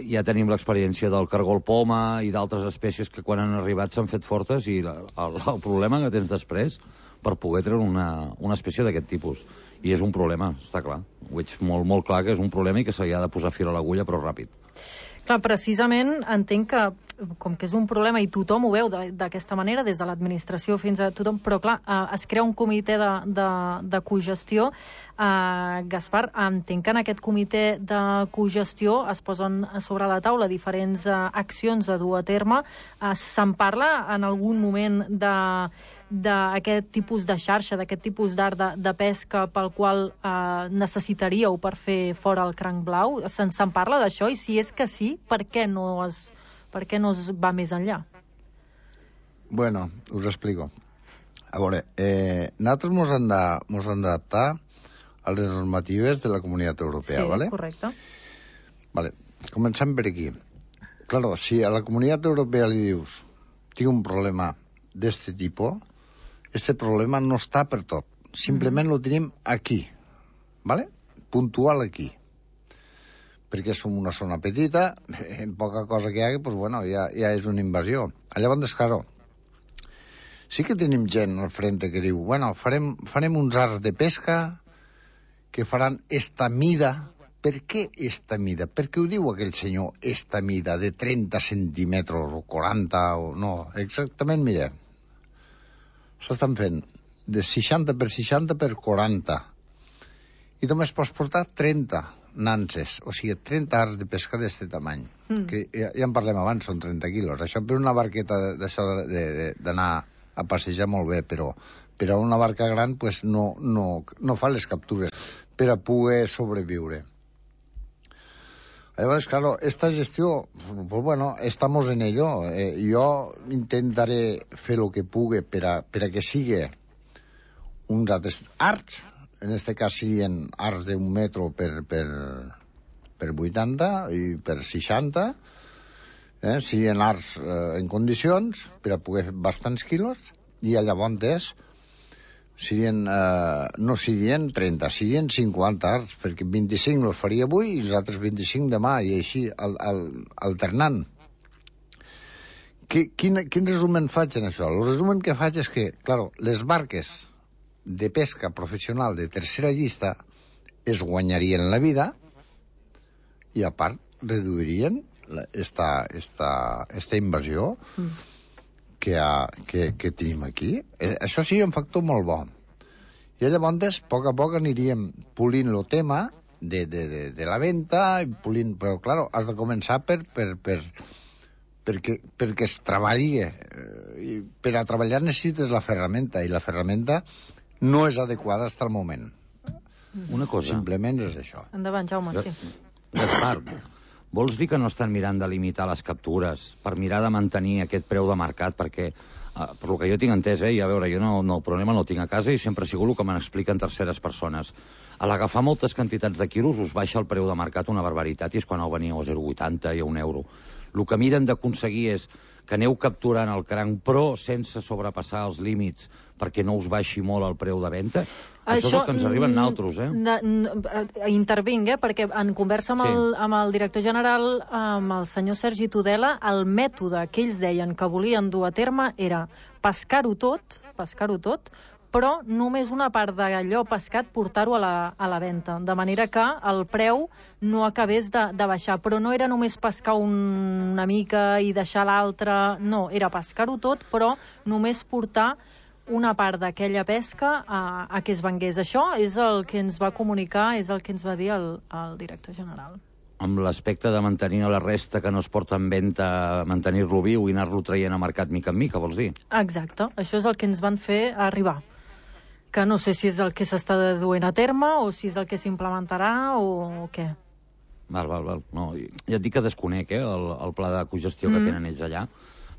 Ja tenim l'experiència del cargol poma i d'altres espècies que quan han arribat s'han fet fortes, i el, el problema que tens després per poder treure una, una espècie d'aquest tipus. I és un problema, està clar. Ho veig molt, molt clar que és un problema i que s'hi ha de posar fil a l'agulla, però ràpid. Clar, precisament entenc que, com que és un problema i tothom ho veu d'aquesta manera, des de l'administració fins a tothom, però clar, eh, es crea un comitè de, de, de cogestió. Eh, Gaspar, entenc que en aquest comitè de cogestió es posen sobre la taula diferents eh, accions a dur a terme. Eh, se'n parla en algun moment de d'aquest tipus de xarxa, d'aquest tipus d'art de, de pesca pel qual eh, necessitaríeu per fer fora el cranc blau? Se'n se parla d'això? I si és que sí, per què no es, per què no es va més enllà? Bueno, us explico. A veure, eh, nosaltres mos hem de, mos hem d'adaptar a les normatives de la Comunitat Europea, sí, ¿vale? Correcte. Vale, comencem per aquí. Claro, si a la Comunitat Europea li dius tinc un problema d'este tipus, este problema no està per tot. Simplement mm. lo tenim aquí, ¿vale? Puntual aquí. Perquè som una zona petita, en poca cosa que hi hagi, pues bueno, ja, ja és una invasió. Llavors, claro, sí que tenim gent al frente que diu, bueno, farem, farem uns arts de pesca que faran esta mida. Per què esta mida? Per què ho diu aquell senyor, esta mida, de trenta centímetres o quaranta o no? Exactament, mira, s'estan fent de seixanta per seixanta per quaranta i només pots portar trenta nanses, o sigui, trenta arts de pesca d'aquest tamany, mm. que ja, ja en parlem abans, són trenta quilos. Això per una barqueta d'això d'anar a passejar molt bé, però per a una barca gran pues, no, no, no fa les captures per a poder sobreviure. Llavors, claro, esta gestió, pues bueno, estamos en ello. Eh, jo intentaré fer el que pugui per a, per a que sigui uns altres arts, en este cas siguin arts d'un metro per, per, per vuitanta i per seixanta, eh, siguin arts eh, en condicions per a poder fer bastants quilos, i llavors siguin, eh, no siguin trenta, siguin cinquanta arts, perquè vint-i-cinc els faria avui i els altres vint-i-cinc demà, i així al, al, alternant. quin, quin resumen faig en això? El resumen que faig és que, clar, les barques de pesca professional de tercera llista es guanyarien la vida i, a part, reduirien la, esta, esta, esta invasió mm. que, ha, que, que tenim aquí. Eh, això sí, un factor molt bo. I llavors, a poc a poc, aniríem polint el tema de, de, de, de la venda, polint, però, clar, has de començar per, per, per, perquè, perquè es treballi. Eh, per a treballar necessites la ferramenta, i la ferramenta no és adequada fins al moment. Una cosa. Simplement és això. Endavant, Jaume, sí. Gaspar, vols dir que no estan mirant de limitar les captures per mirar de mantenir aquest preu de mercat? Perquè, eh, per lo que jo tinc entès, eh, i a veure, jo no, no, el problema no el tinc a casa i sempre ha sigut el que me n'expliquen terceres persones. A l'agafar moltes quantitats de quilos us baixa el preu de mercat una barbaritat, i és quan heu veniu a zero coma vuitanta i a un euro. El que miren d'aconseguir és que aneu capturant el cranc, però sense sobrepassar els límits perquè no us baixi molt el preu de venda. Això, Això és el que ens arriba a nosaltres, eh? Intervinc, eh? Perquè en conversa amb, sí. el, amb el director general, amb el senyor Sergi Tudela, el mètode que ells deien que volien dur a terme era pescar-ho tot, pescar-ho tot, però només una part d'allò pescat portar-ho a la, a la venda, de manera que el preu no acabés de, de baixar. Però no era només pescar un, una mica i deixar l'altra, no, era pescar-ho tot, però només portar una part d'aquella pesca a, a que es vengués. Això és el que ens va comunicar, és el que ens va dir el, el director general. Amb l'aspecte de mantenir la resta que no es porta en venda, mantenir-lo viu i anar-lo traient a mercat mica en mica, vols dir? Exacte, això és el que ens van fer arribar. Que no sé si és el que s'està duent a terme o si és el que s'implementarà o, o què. Val, val, val. No, ja et dic que desconec, eh, el, el pla de cogestió mm. que tenen ells allà.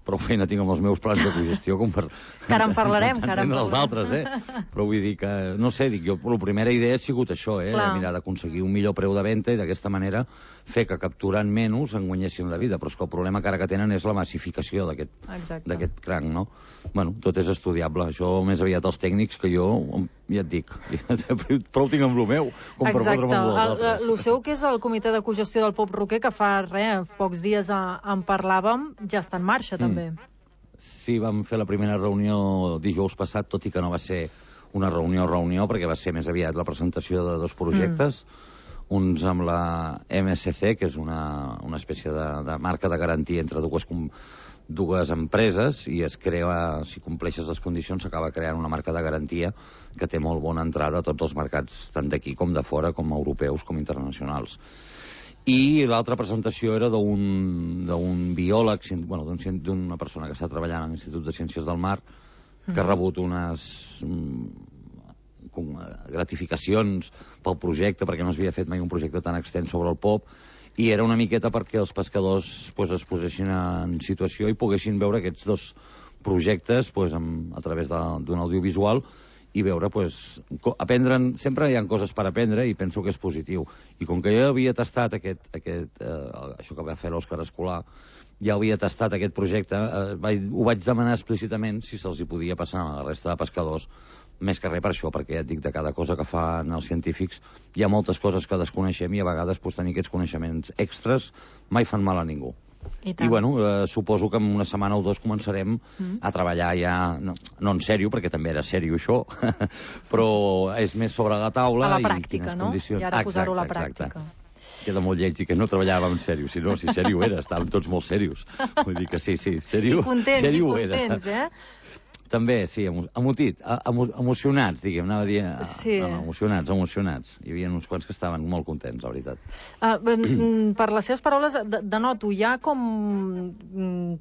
Prou feina tinc amb els meus plans de cogestió com per... Que ara en parlarem, que ara en parlarem. Els altres, eh? Però vull dir que, no sé, dic jo, la primera idea ha sigut això, eh? Clar. Mirar d'aconseguir un millor preu de venda i d'aquesta manera fer que capturant menys en guanyessin la vida. Però és que el problema que ara que tenen és la massificació d'aquest cranc, no? Bueno, tot és estudiable. Això més aviat els tècnics que jo, ja et dic, prou tinc amb lo meu, com per fotre'm amb lo altres. El seu, que és el comitè de cogestió del Pop Roquer, que fa res, pocs dies en parlàvem, ja està en marxa, també. Sí, vam fer la primera reunió dijous passat, tot i que no va ser una reunió-reunió, perquè va ser més aviat la presentació de dos projectes, mm. uns amb la M S C, que és una, una espècie de, de marca de garantia entre dues, dues empreses, i es crea, si compleixes les condicions, s'acaba creant una marca de garantia que té molt bona entrada a tots els mercats, tant d'aquí com de fora, com europeus, com internacionals. I l'altra presentació era d'un biòleg, bueno, d'una persona que està treballant a l'Institut de Ciències del Mar, que ha rebut unes gratificacions pel projecte, perquè no s'havia fet mai un projecte tan extens sobre el pop, i era una miqueta perquè els pescadors pues, es posessin en situació i poguessin veure aquests dos projectes pues, amb, a través d'un audiovisual, i veure, pues, aprendre'n, sempre hi ha coses per aprendre i penso que és positiu. I com que jo havia tastat aquest, aquest, eh, això que va fer l'Òscar Escolar, ja havia tastat aquest projecte, eh, vaig, ho vaig demanar explícitament si se'ls hi podia passar a la resta de pescadors, més que res per això, perquè ja et dic, de cada cosa que fan els científics hi ha moltes coses que desconeixem i a vegades pues, tenir aquests coneixements extras mai fan mal a ningú. I, I bueno, eh, suposo que en una setmana o dos començarem mm. a treballar ja, no, no en sèrio, perquè també era sèrio això, però és més sobre la taula. A la pràctica, i no? Condicions... I ara posar-ho a la pràctica. Exacte. Queda molt lleig dir que no treballàvem en sèrio, si no, si sèrio era, estàvem tots molt serios. Vull dir que sí, sí, sèrio, I contents, sèrio i contents, era. eh? També, sí, emotit, emo, emocionats, diguem, anava a dir... Sí. No, no, emocionats, emocionats. Hi havia uns quants que estaven molt contents, la veritat. Uh, per les seves paraules, denoto, hi ha com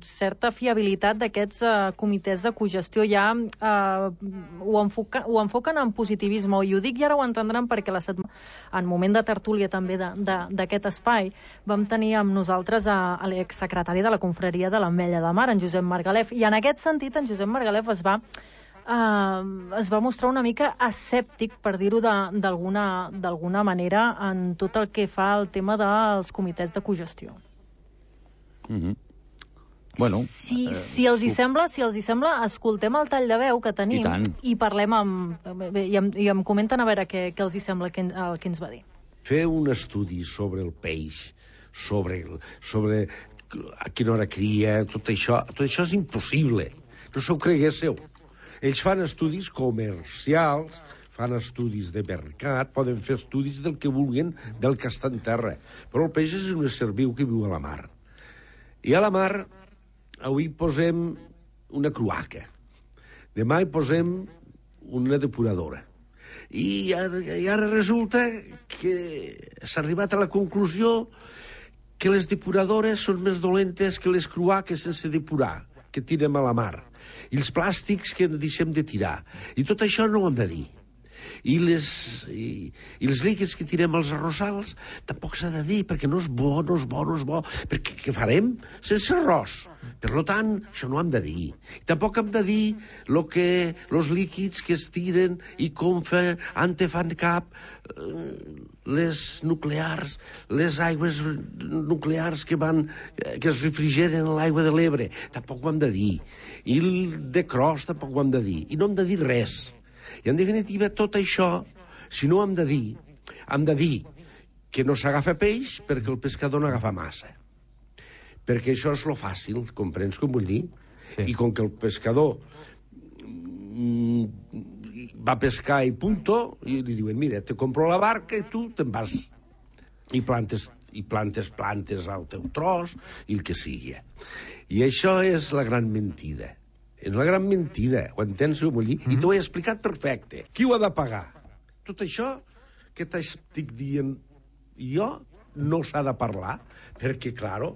certa fiabilitat d'aquests uh, comitès de cogestió, ja uh, ho, enfoca, ho enfoquen en positivisme, i ho dic i ara ho entendran perquè la setmana, en moment de tertúlia també d'aquest espai, vam tenir amb nosaltres a, a l'exsecretari de la confraria de l'Ametlla de Mar, en Josep Margalef, i en aquest sentit en Josep Margalef es va Uh, es va mostrar una mica escèptic, per dir-ho d'alguna d'alguna manera, en tot el que fa al tema dels comitès de cogestió. Mm-hmm. Bueno, si, eh, si els hi sembla, si els hi sembla, escoltem el tall de veu que tenim i, i parlem amb, i, em, i em comenten a veure què, què els hi sembla que, el que ens va dir. Fer un estudi sobre el peix, sobre, el, sobre a quina hora cria, tot això, tot això és impossible. No s'ho creguéssiu. Ells fan estudis comercials, fan estudis de mercat, poden fer estudis del que vulguin, del que està en terra. Però el peix és un ésser viu que viu a la mar. I a la mar, avui posem una cloaca. Demà hi posem una depuradora. I ara, i ara resulta que s'ha arribat a la conclusió que les depuradores són més dolentes que les cloaques sense depurar, que tirem a la mar. I els plàstics que deixem de tirar. I tot això no ho hem de dir. I, les, i, i els líquids que tirem als arrossals tampoc s'ha de dir, perquè no és bo, no és bo, no és bo, perquè què farem sense arròs? Per tant, això no ho hem de dir. I tampoc hem de dir lo que, los líquids que es tiren i com fe, ante fan cap eh, les nuclears, les aigües nuclears que van, que es refrigeren a l'aigua de l'Ebre. Tampoc ho hem de dir. I el de Cros tampoc ho hem de dir. I no hem de dir res. I en definitiva tot això, si no hem de dir, hem de dir que no s'agafa peix perquè el pescador no agafa massa. Perquè això és lo fàcil, comprens com vull dir? Sí. I com que el pescador mm, va pescar i punto, i li diuen, mira, te compro la barca i tu te'n vas. I plantes, i plantes plantes al teu tros i el que sigui. I això és la gran mentida. És una gran mentida, ho entens, ho vull dir? Mm-hmm. I t'ho he explicat perfecte. Qui ho ha de pagar? Tot això que t'estic dient jo no s'ha de parlar, perquè, claro,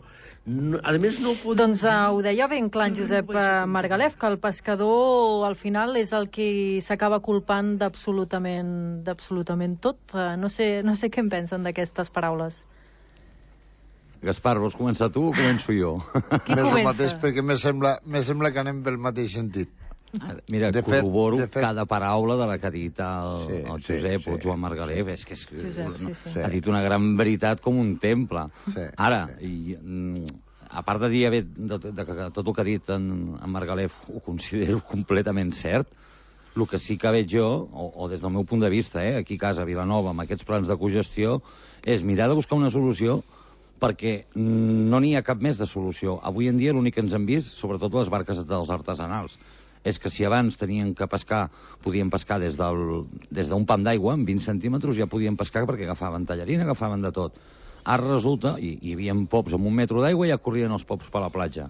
no, a més no ho podem... Doncs uh, ho deia ben clar en Josep uh, Margalef, que el pescador al final és el que s'acaba culpant d'absolutament d'absolutament tot. Uh, no sé, no sé què en pensen d'aquestes paraules. Gaspar, vols començar tu o començo jo? Qui més comença? El mateix, perquè me sembla, me sembla que anem pel mateix sentit. Mira, de corroboro fet, fet... cada paraula de la que ha dit el, sí, el Josep sí, o el Joan Margalef. És que és, Josep, sí, sí. ha dit una gran veritat com un temple. Sí, Ara, sí. I, mm, a part de dir de, de, de, de tot el que ha dit en, en Margalef ho considero completament cert, el que sí que veig jo, o, o des del meu punt de vista, eh, aquí a casa, a Vilanova, amb aquests plans de cogestió, és mirar de buscar una solució perquè no n'hi ha cap més de solució. Avui en dia l'únic que ens hem vist, sobretot les barques dels artesanals, és que si abans tenien que pescar, podien pescar des d'un des pam d'aigua, amb vint centímetres, ja podien pescar perquè agafaven tallarina, agafaven de tot. Ara resulta, i hi havia pops amb un metro d'aigua i ja corrien els pops per la platja.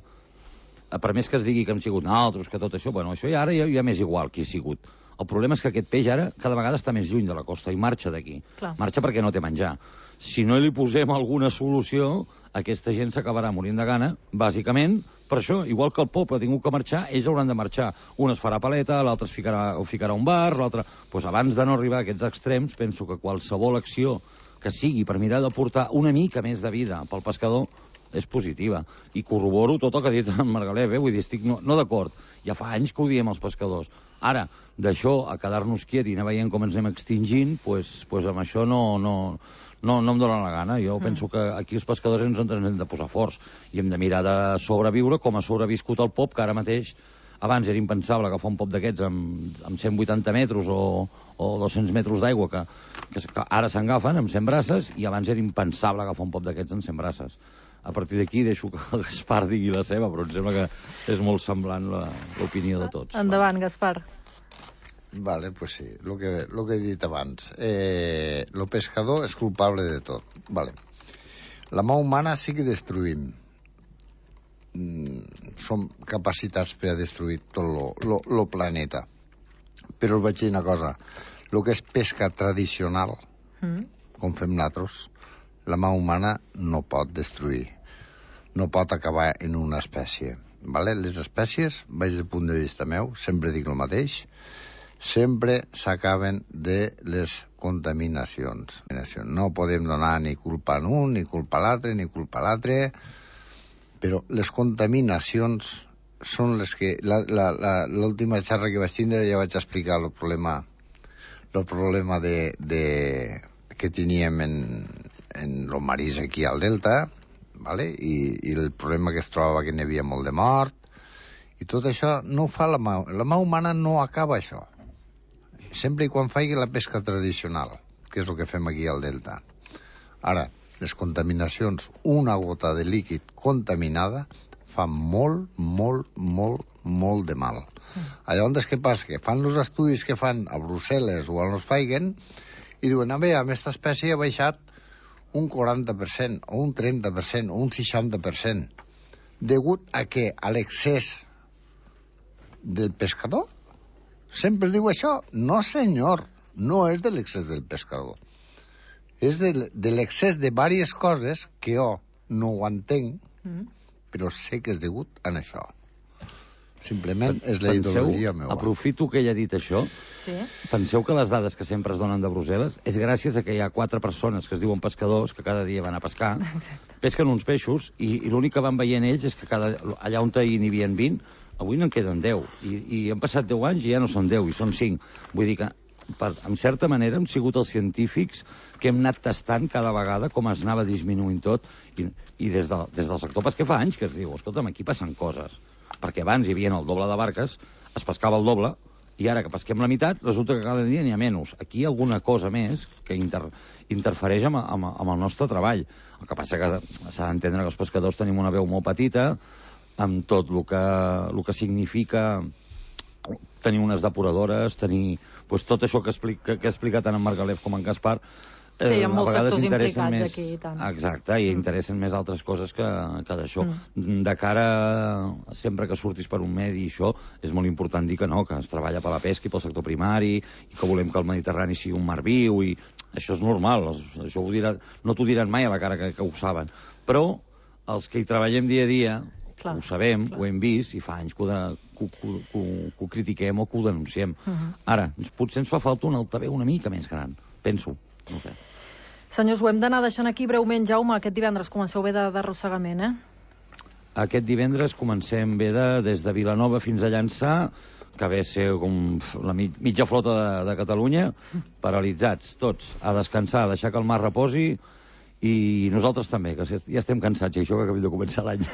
Per més que es digui que hem sigut nosaltres, que tot això, bueno, això ja ara ja, ja m'és igual qui ha sigut. El problema és que aquest peix ara cada vegada està més lluny de la costa i marxa d'aquí. Marxa perquè no té menjar. Si no li posem alguna solució, aquesta gent s'acabarà morint de gana, bàsicament, per això, igual que el poble ha tingut que marxar, ells hauran de marxar. Un es farà paleta, l'altre es ficarà, o ficarà un bar, l'altre... Pues abans de no arribar a aquests extrems, penso que qualsevol acció que sigui per mirar de portar una mica més de vida pel pescador és positiva. I corroboro tot el que ha dit en Margalef, eh? Vull dir, estic no, no d'acord. Ja fa anys que ho diem els pescadors. Ara, d'això a quedar-nos quiet i anar veient com ens anem extingint, pues, pues amb això no... no No, no em dóna la gana. Jo mm. penso que aquí els pescadors ens en hem de posar forts i hem de mirar de sobreviure com ha sobreviscut el pop, que ara mateix abans era impensable agafar un pop d'aquests amb, amb cent vuitanta metres o, o dos-cents metres d'aigua que, que, que ara s'engafen amb cent braces, i abans era impensable agafar un pop d'aquests amb cent braces. A partir d'aquí deixo que el Gaspar digui la seva, però em sembla que és molt semblant l'opinió de tots. Endavant, Gaspar. Vale, pues sí, lo que, lo que he dit abans. Eh, lo pescador és culpable de tot. Vale. La mà humana sí que destruïm. Mm, som capacitats per a destruir tot lo, lo, lo planeta. Però us vaig dir una cosa. Lo que és pesca tradicional, mm. com fem nosaltres, la mà humana no pot destruir. No pot acabar en una espècie. Vale? Les espècies, vaig del punt de vista meu, sempre dic el mateix, sempre s'acaben de les contaminacions. No podem donar ni culpa a un, ni culpa a l'altre, ni culpa a l'altre, però les contaminacions són les que... L'última xerra que vaig tindre ja vaig explicar el problema, el problema de, de, que teníem en, en el marís aquí al Delta, vale? I, i el problema que es trobava que n'hi havia molt de mort, i tot això no ho fa la mà. La mà humana no acaba això. Sempre i quan faci la pesca tradicional, que és el que fem aquí al Delta. Ara, les contaminacions, una gota de líquid contaminada fa molt, molt, molt, molt de mal. Mm. Llavors, què passa? Que fan els estudis que fan a Brussel·les o a Volkswagen i diuen, a veure, aquesta espècie ha baixat un quaranta per cent, o un trenta per cent, o un seixanta per cent, degut a que a l'excés del pescador? Sempre es diu això? No, senyor, no és de l'excés del pescador. És de, de l'excés de diverses coses que jo no ho entenc, mm. però sé que és degut a això. Simplement és la ideologia meva. Aprofito que ell ha dit això. Sí. Penseu que les dades que sempre es donen de Brussel·les és gràcies a que hi ha quatre persones que es diuen pescadors que cada dia van a pescar, exacte, pesquen uns peixos i, i l'únic que van veient ells és que cada, allà on n'hi havia vint, avui n'en queden deu. I, I han passat deu anys i ja no són deu, i són cinc. Vull dir que, per, en certa manera, hem sigut els científics que hem anat tastant cada vegada com es anava disminuint tot, i, i des, de, des del sector pesquer fa anys que es diu, escolta'm, aquí passen coses. Perquè abans hi havia el doble de barques, es pescava el doble, i ara que pesquem la meitat, resulta que cada dia n'hi ha menys. Aquí hi ha alguna cosa més que inter, interfereix amb, amb, amb el nostre treball. El que passa que s'ha d'entendre que els pescadors tenim una veu molt petita, amb tot el que, el que significa tenir unes depuradores, tenir pues, tot això que, explica, que ha explicat tant en Margalef com en Gaspar. Sí, hi ha molts sectors implicats més, aquí i tant. Exacte, i mm. interessen més altres coses que, que d'això. Mm. De cara, sempre que surtis per un medi i això, és molt important dir que no, que es treballa per la pesca i pel sector primari, i que volem que el Mediterrani sigui un mar viu, i això és normal, això ho dirà, no t'ho diran mai a la cara que, que ho saben. Però els que hi treballem dia a dia, clar, ho sabem, clar, ho hem vist, i fa anys que ho, de, que, que, que, que ho critiquem o que ho denunciem. Mm-hmm. Ara, potser ens fa falta un altaveu una mica més gran, penso. No sé. Senyors, ho hem d'anar deixant aquí breument. Jaume, aquest divendres comenceu bé d'arrossegament, eh? Aquest divendres comencem bé de, des de Vilanova fins a Llançà, que ve a ser com la mig, mitja flota de, de Catalunya, paralitzats, tots, a descansar, a deixar que el mar reposi, i nosaltres també, que ja estem cansats, i això que acabem de començar l'any.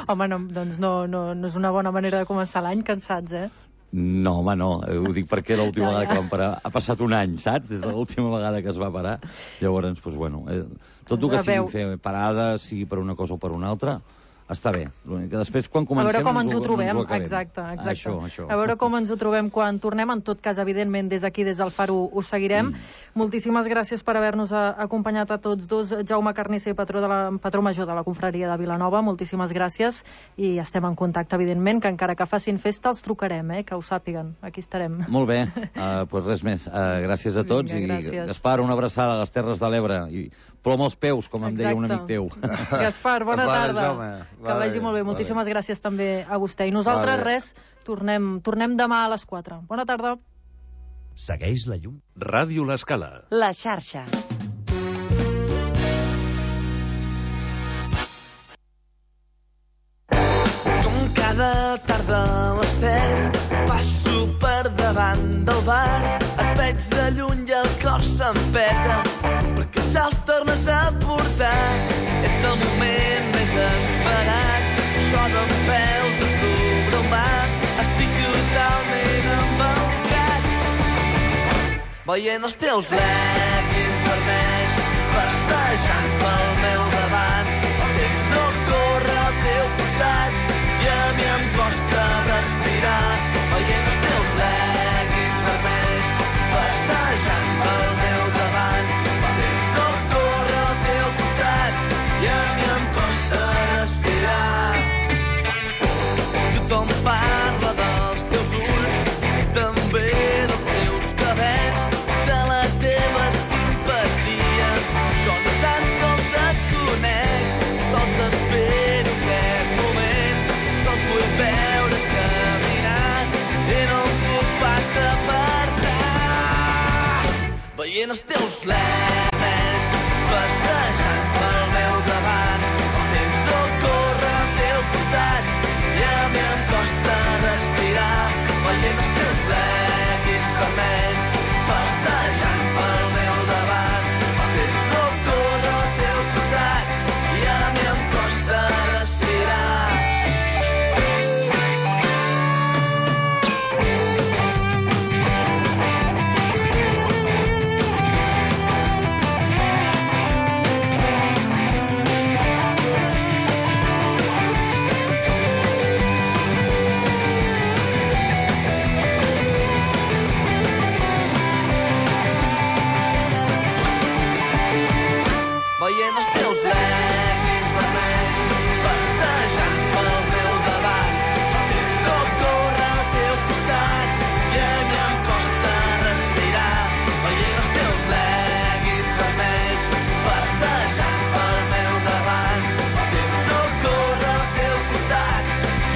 Home, no, doncs no, no, no és una bona manera de començar l'any, cansats, eh? No, home, no. Ho dic perquè l'última vegada que vam parar ha passat un any, saps? Des de l'última vegada que es va parar. Llavors, doncs, bueno, eh, tot el que sigui fer parades, sigui per una cosa o per una altra, està bé. L'únic que després, quan comencem... A veure com ens ho ho, trobem, ens ho exacte, exacte. Això, això. A veure com ens ho trobem quan tornem. En tot cas, evidentment, des d'aquí, des del Far, ho, ho seguirem. Mm. Moltíssimes gràcies per haver-nos acompanyat a tots dos. Jaume Carnisser, patró, de la, patró major de la confraria de Vilanova, moltíssimes gràcies. I estem en contacte, evidentment, que encara que facin festa els trucarem, eh, que ho sàpiguen. Aquí estarem. Molt bé, uh, pues res més. Uh, gràcies a tots. Vinga, gràcies. I Gaspar, una abraçada a les Terres de l'Ebre. I plom als peus, com em exacte, deia un amic teu. Gaspar, bona tarda. Jaume. Que vagi molt bé. Moltíssimes gràcies també a vostè. I nosaltres, vale, res, tornem, tornem demà a les quatre. Bona tarda. Segueix la llum. Ràdio L'Escala. La xarxa. Com cada tarda a les set passo per davant del bar, et veig de lluny i el cor s'empeta perquè se'ls tornes a portar. És el moment més esperat, això d'en peus a sobre el mar, estic totalment embaucat, veient els teus leggings vermells passejant pel meu davant. El temps no corre al teu costat i a mi em costa respirar, veient els teus leggings vermells passejant pel meu davant. El temps no corre al teu costat i a mi em costa respirar. Tothom parla dels teus ulls i també dels teus cabells, de la teva simpatia. Jo no tan sols et conec, sols espero aquest moment, sols vull veure caminar i no em puc pas apartar. Veient els teus lemes passejant pel meu davant, el temps no corre al teu costat i a mi em costa respirar, veient els teus leggings vermells passejant pel meu davant. El temps no corre al teu costat i a mi em costa respirar. veient els teus leggings vermells passejant pel meu davant. El temps no corre al teu costat i a mi em costa respirar. Veient els teus leggings vermells passejant pel meu davant. El temps no corre al teu costat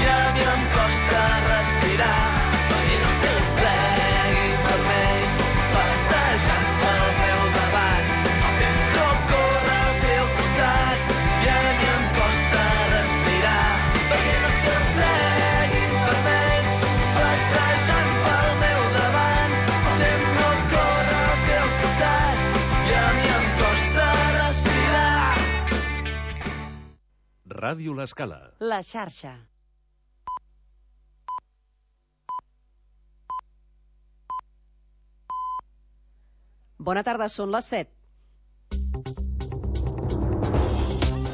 i a mi em costa respirar. Veient els teus leggings vermells passejant pel meu davant. El temps no corre al teu costat i a mi em costa respirar. Veient els teus leggings vermells passejant pel meu davant. El temps no corre al teu costat i a mi em costa respirar. Ràdio L'Escala. La xarxa. Bona tarda, són les set.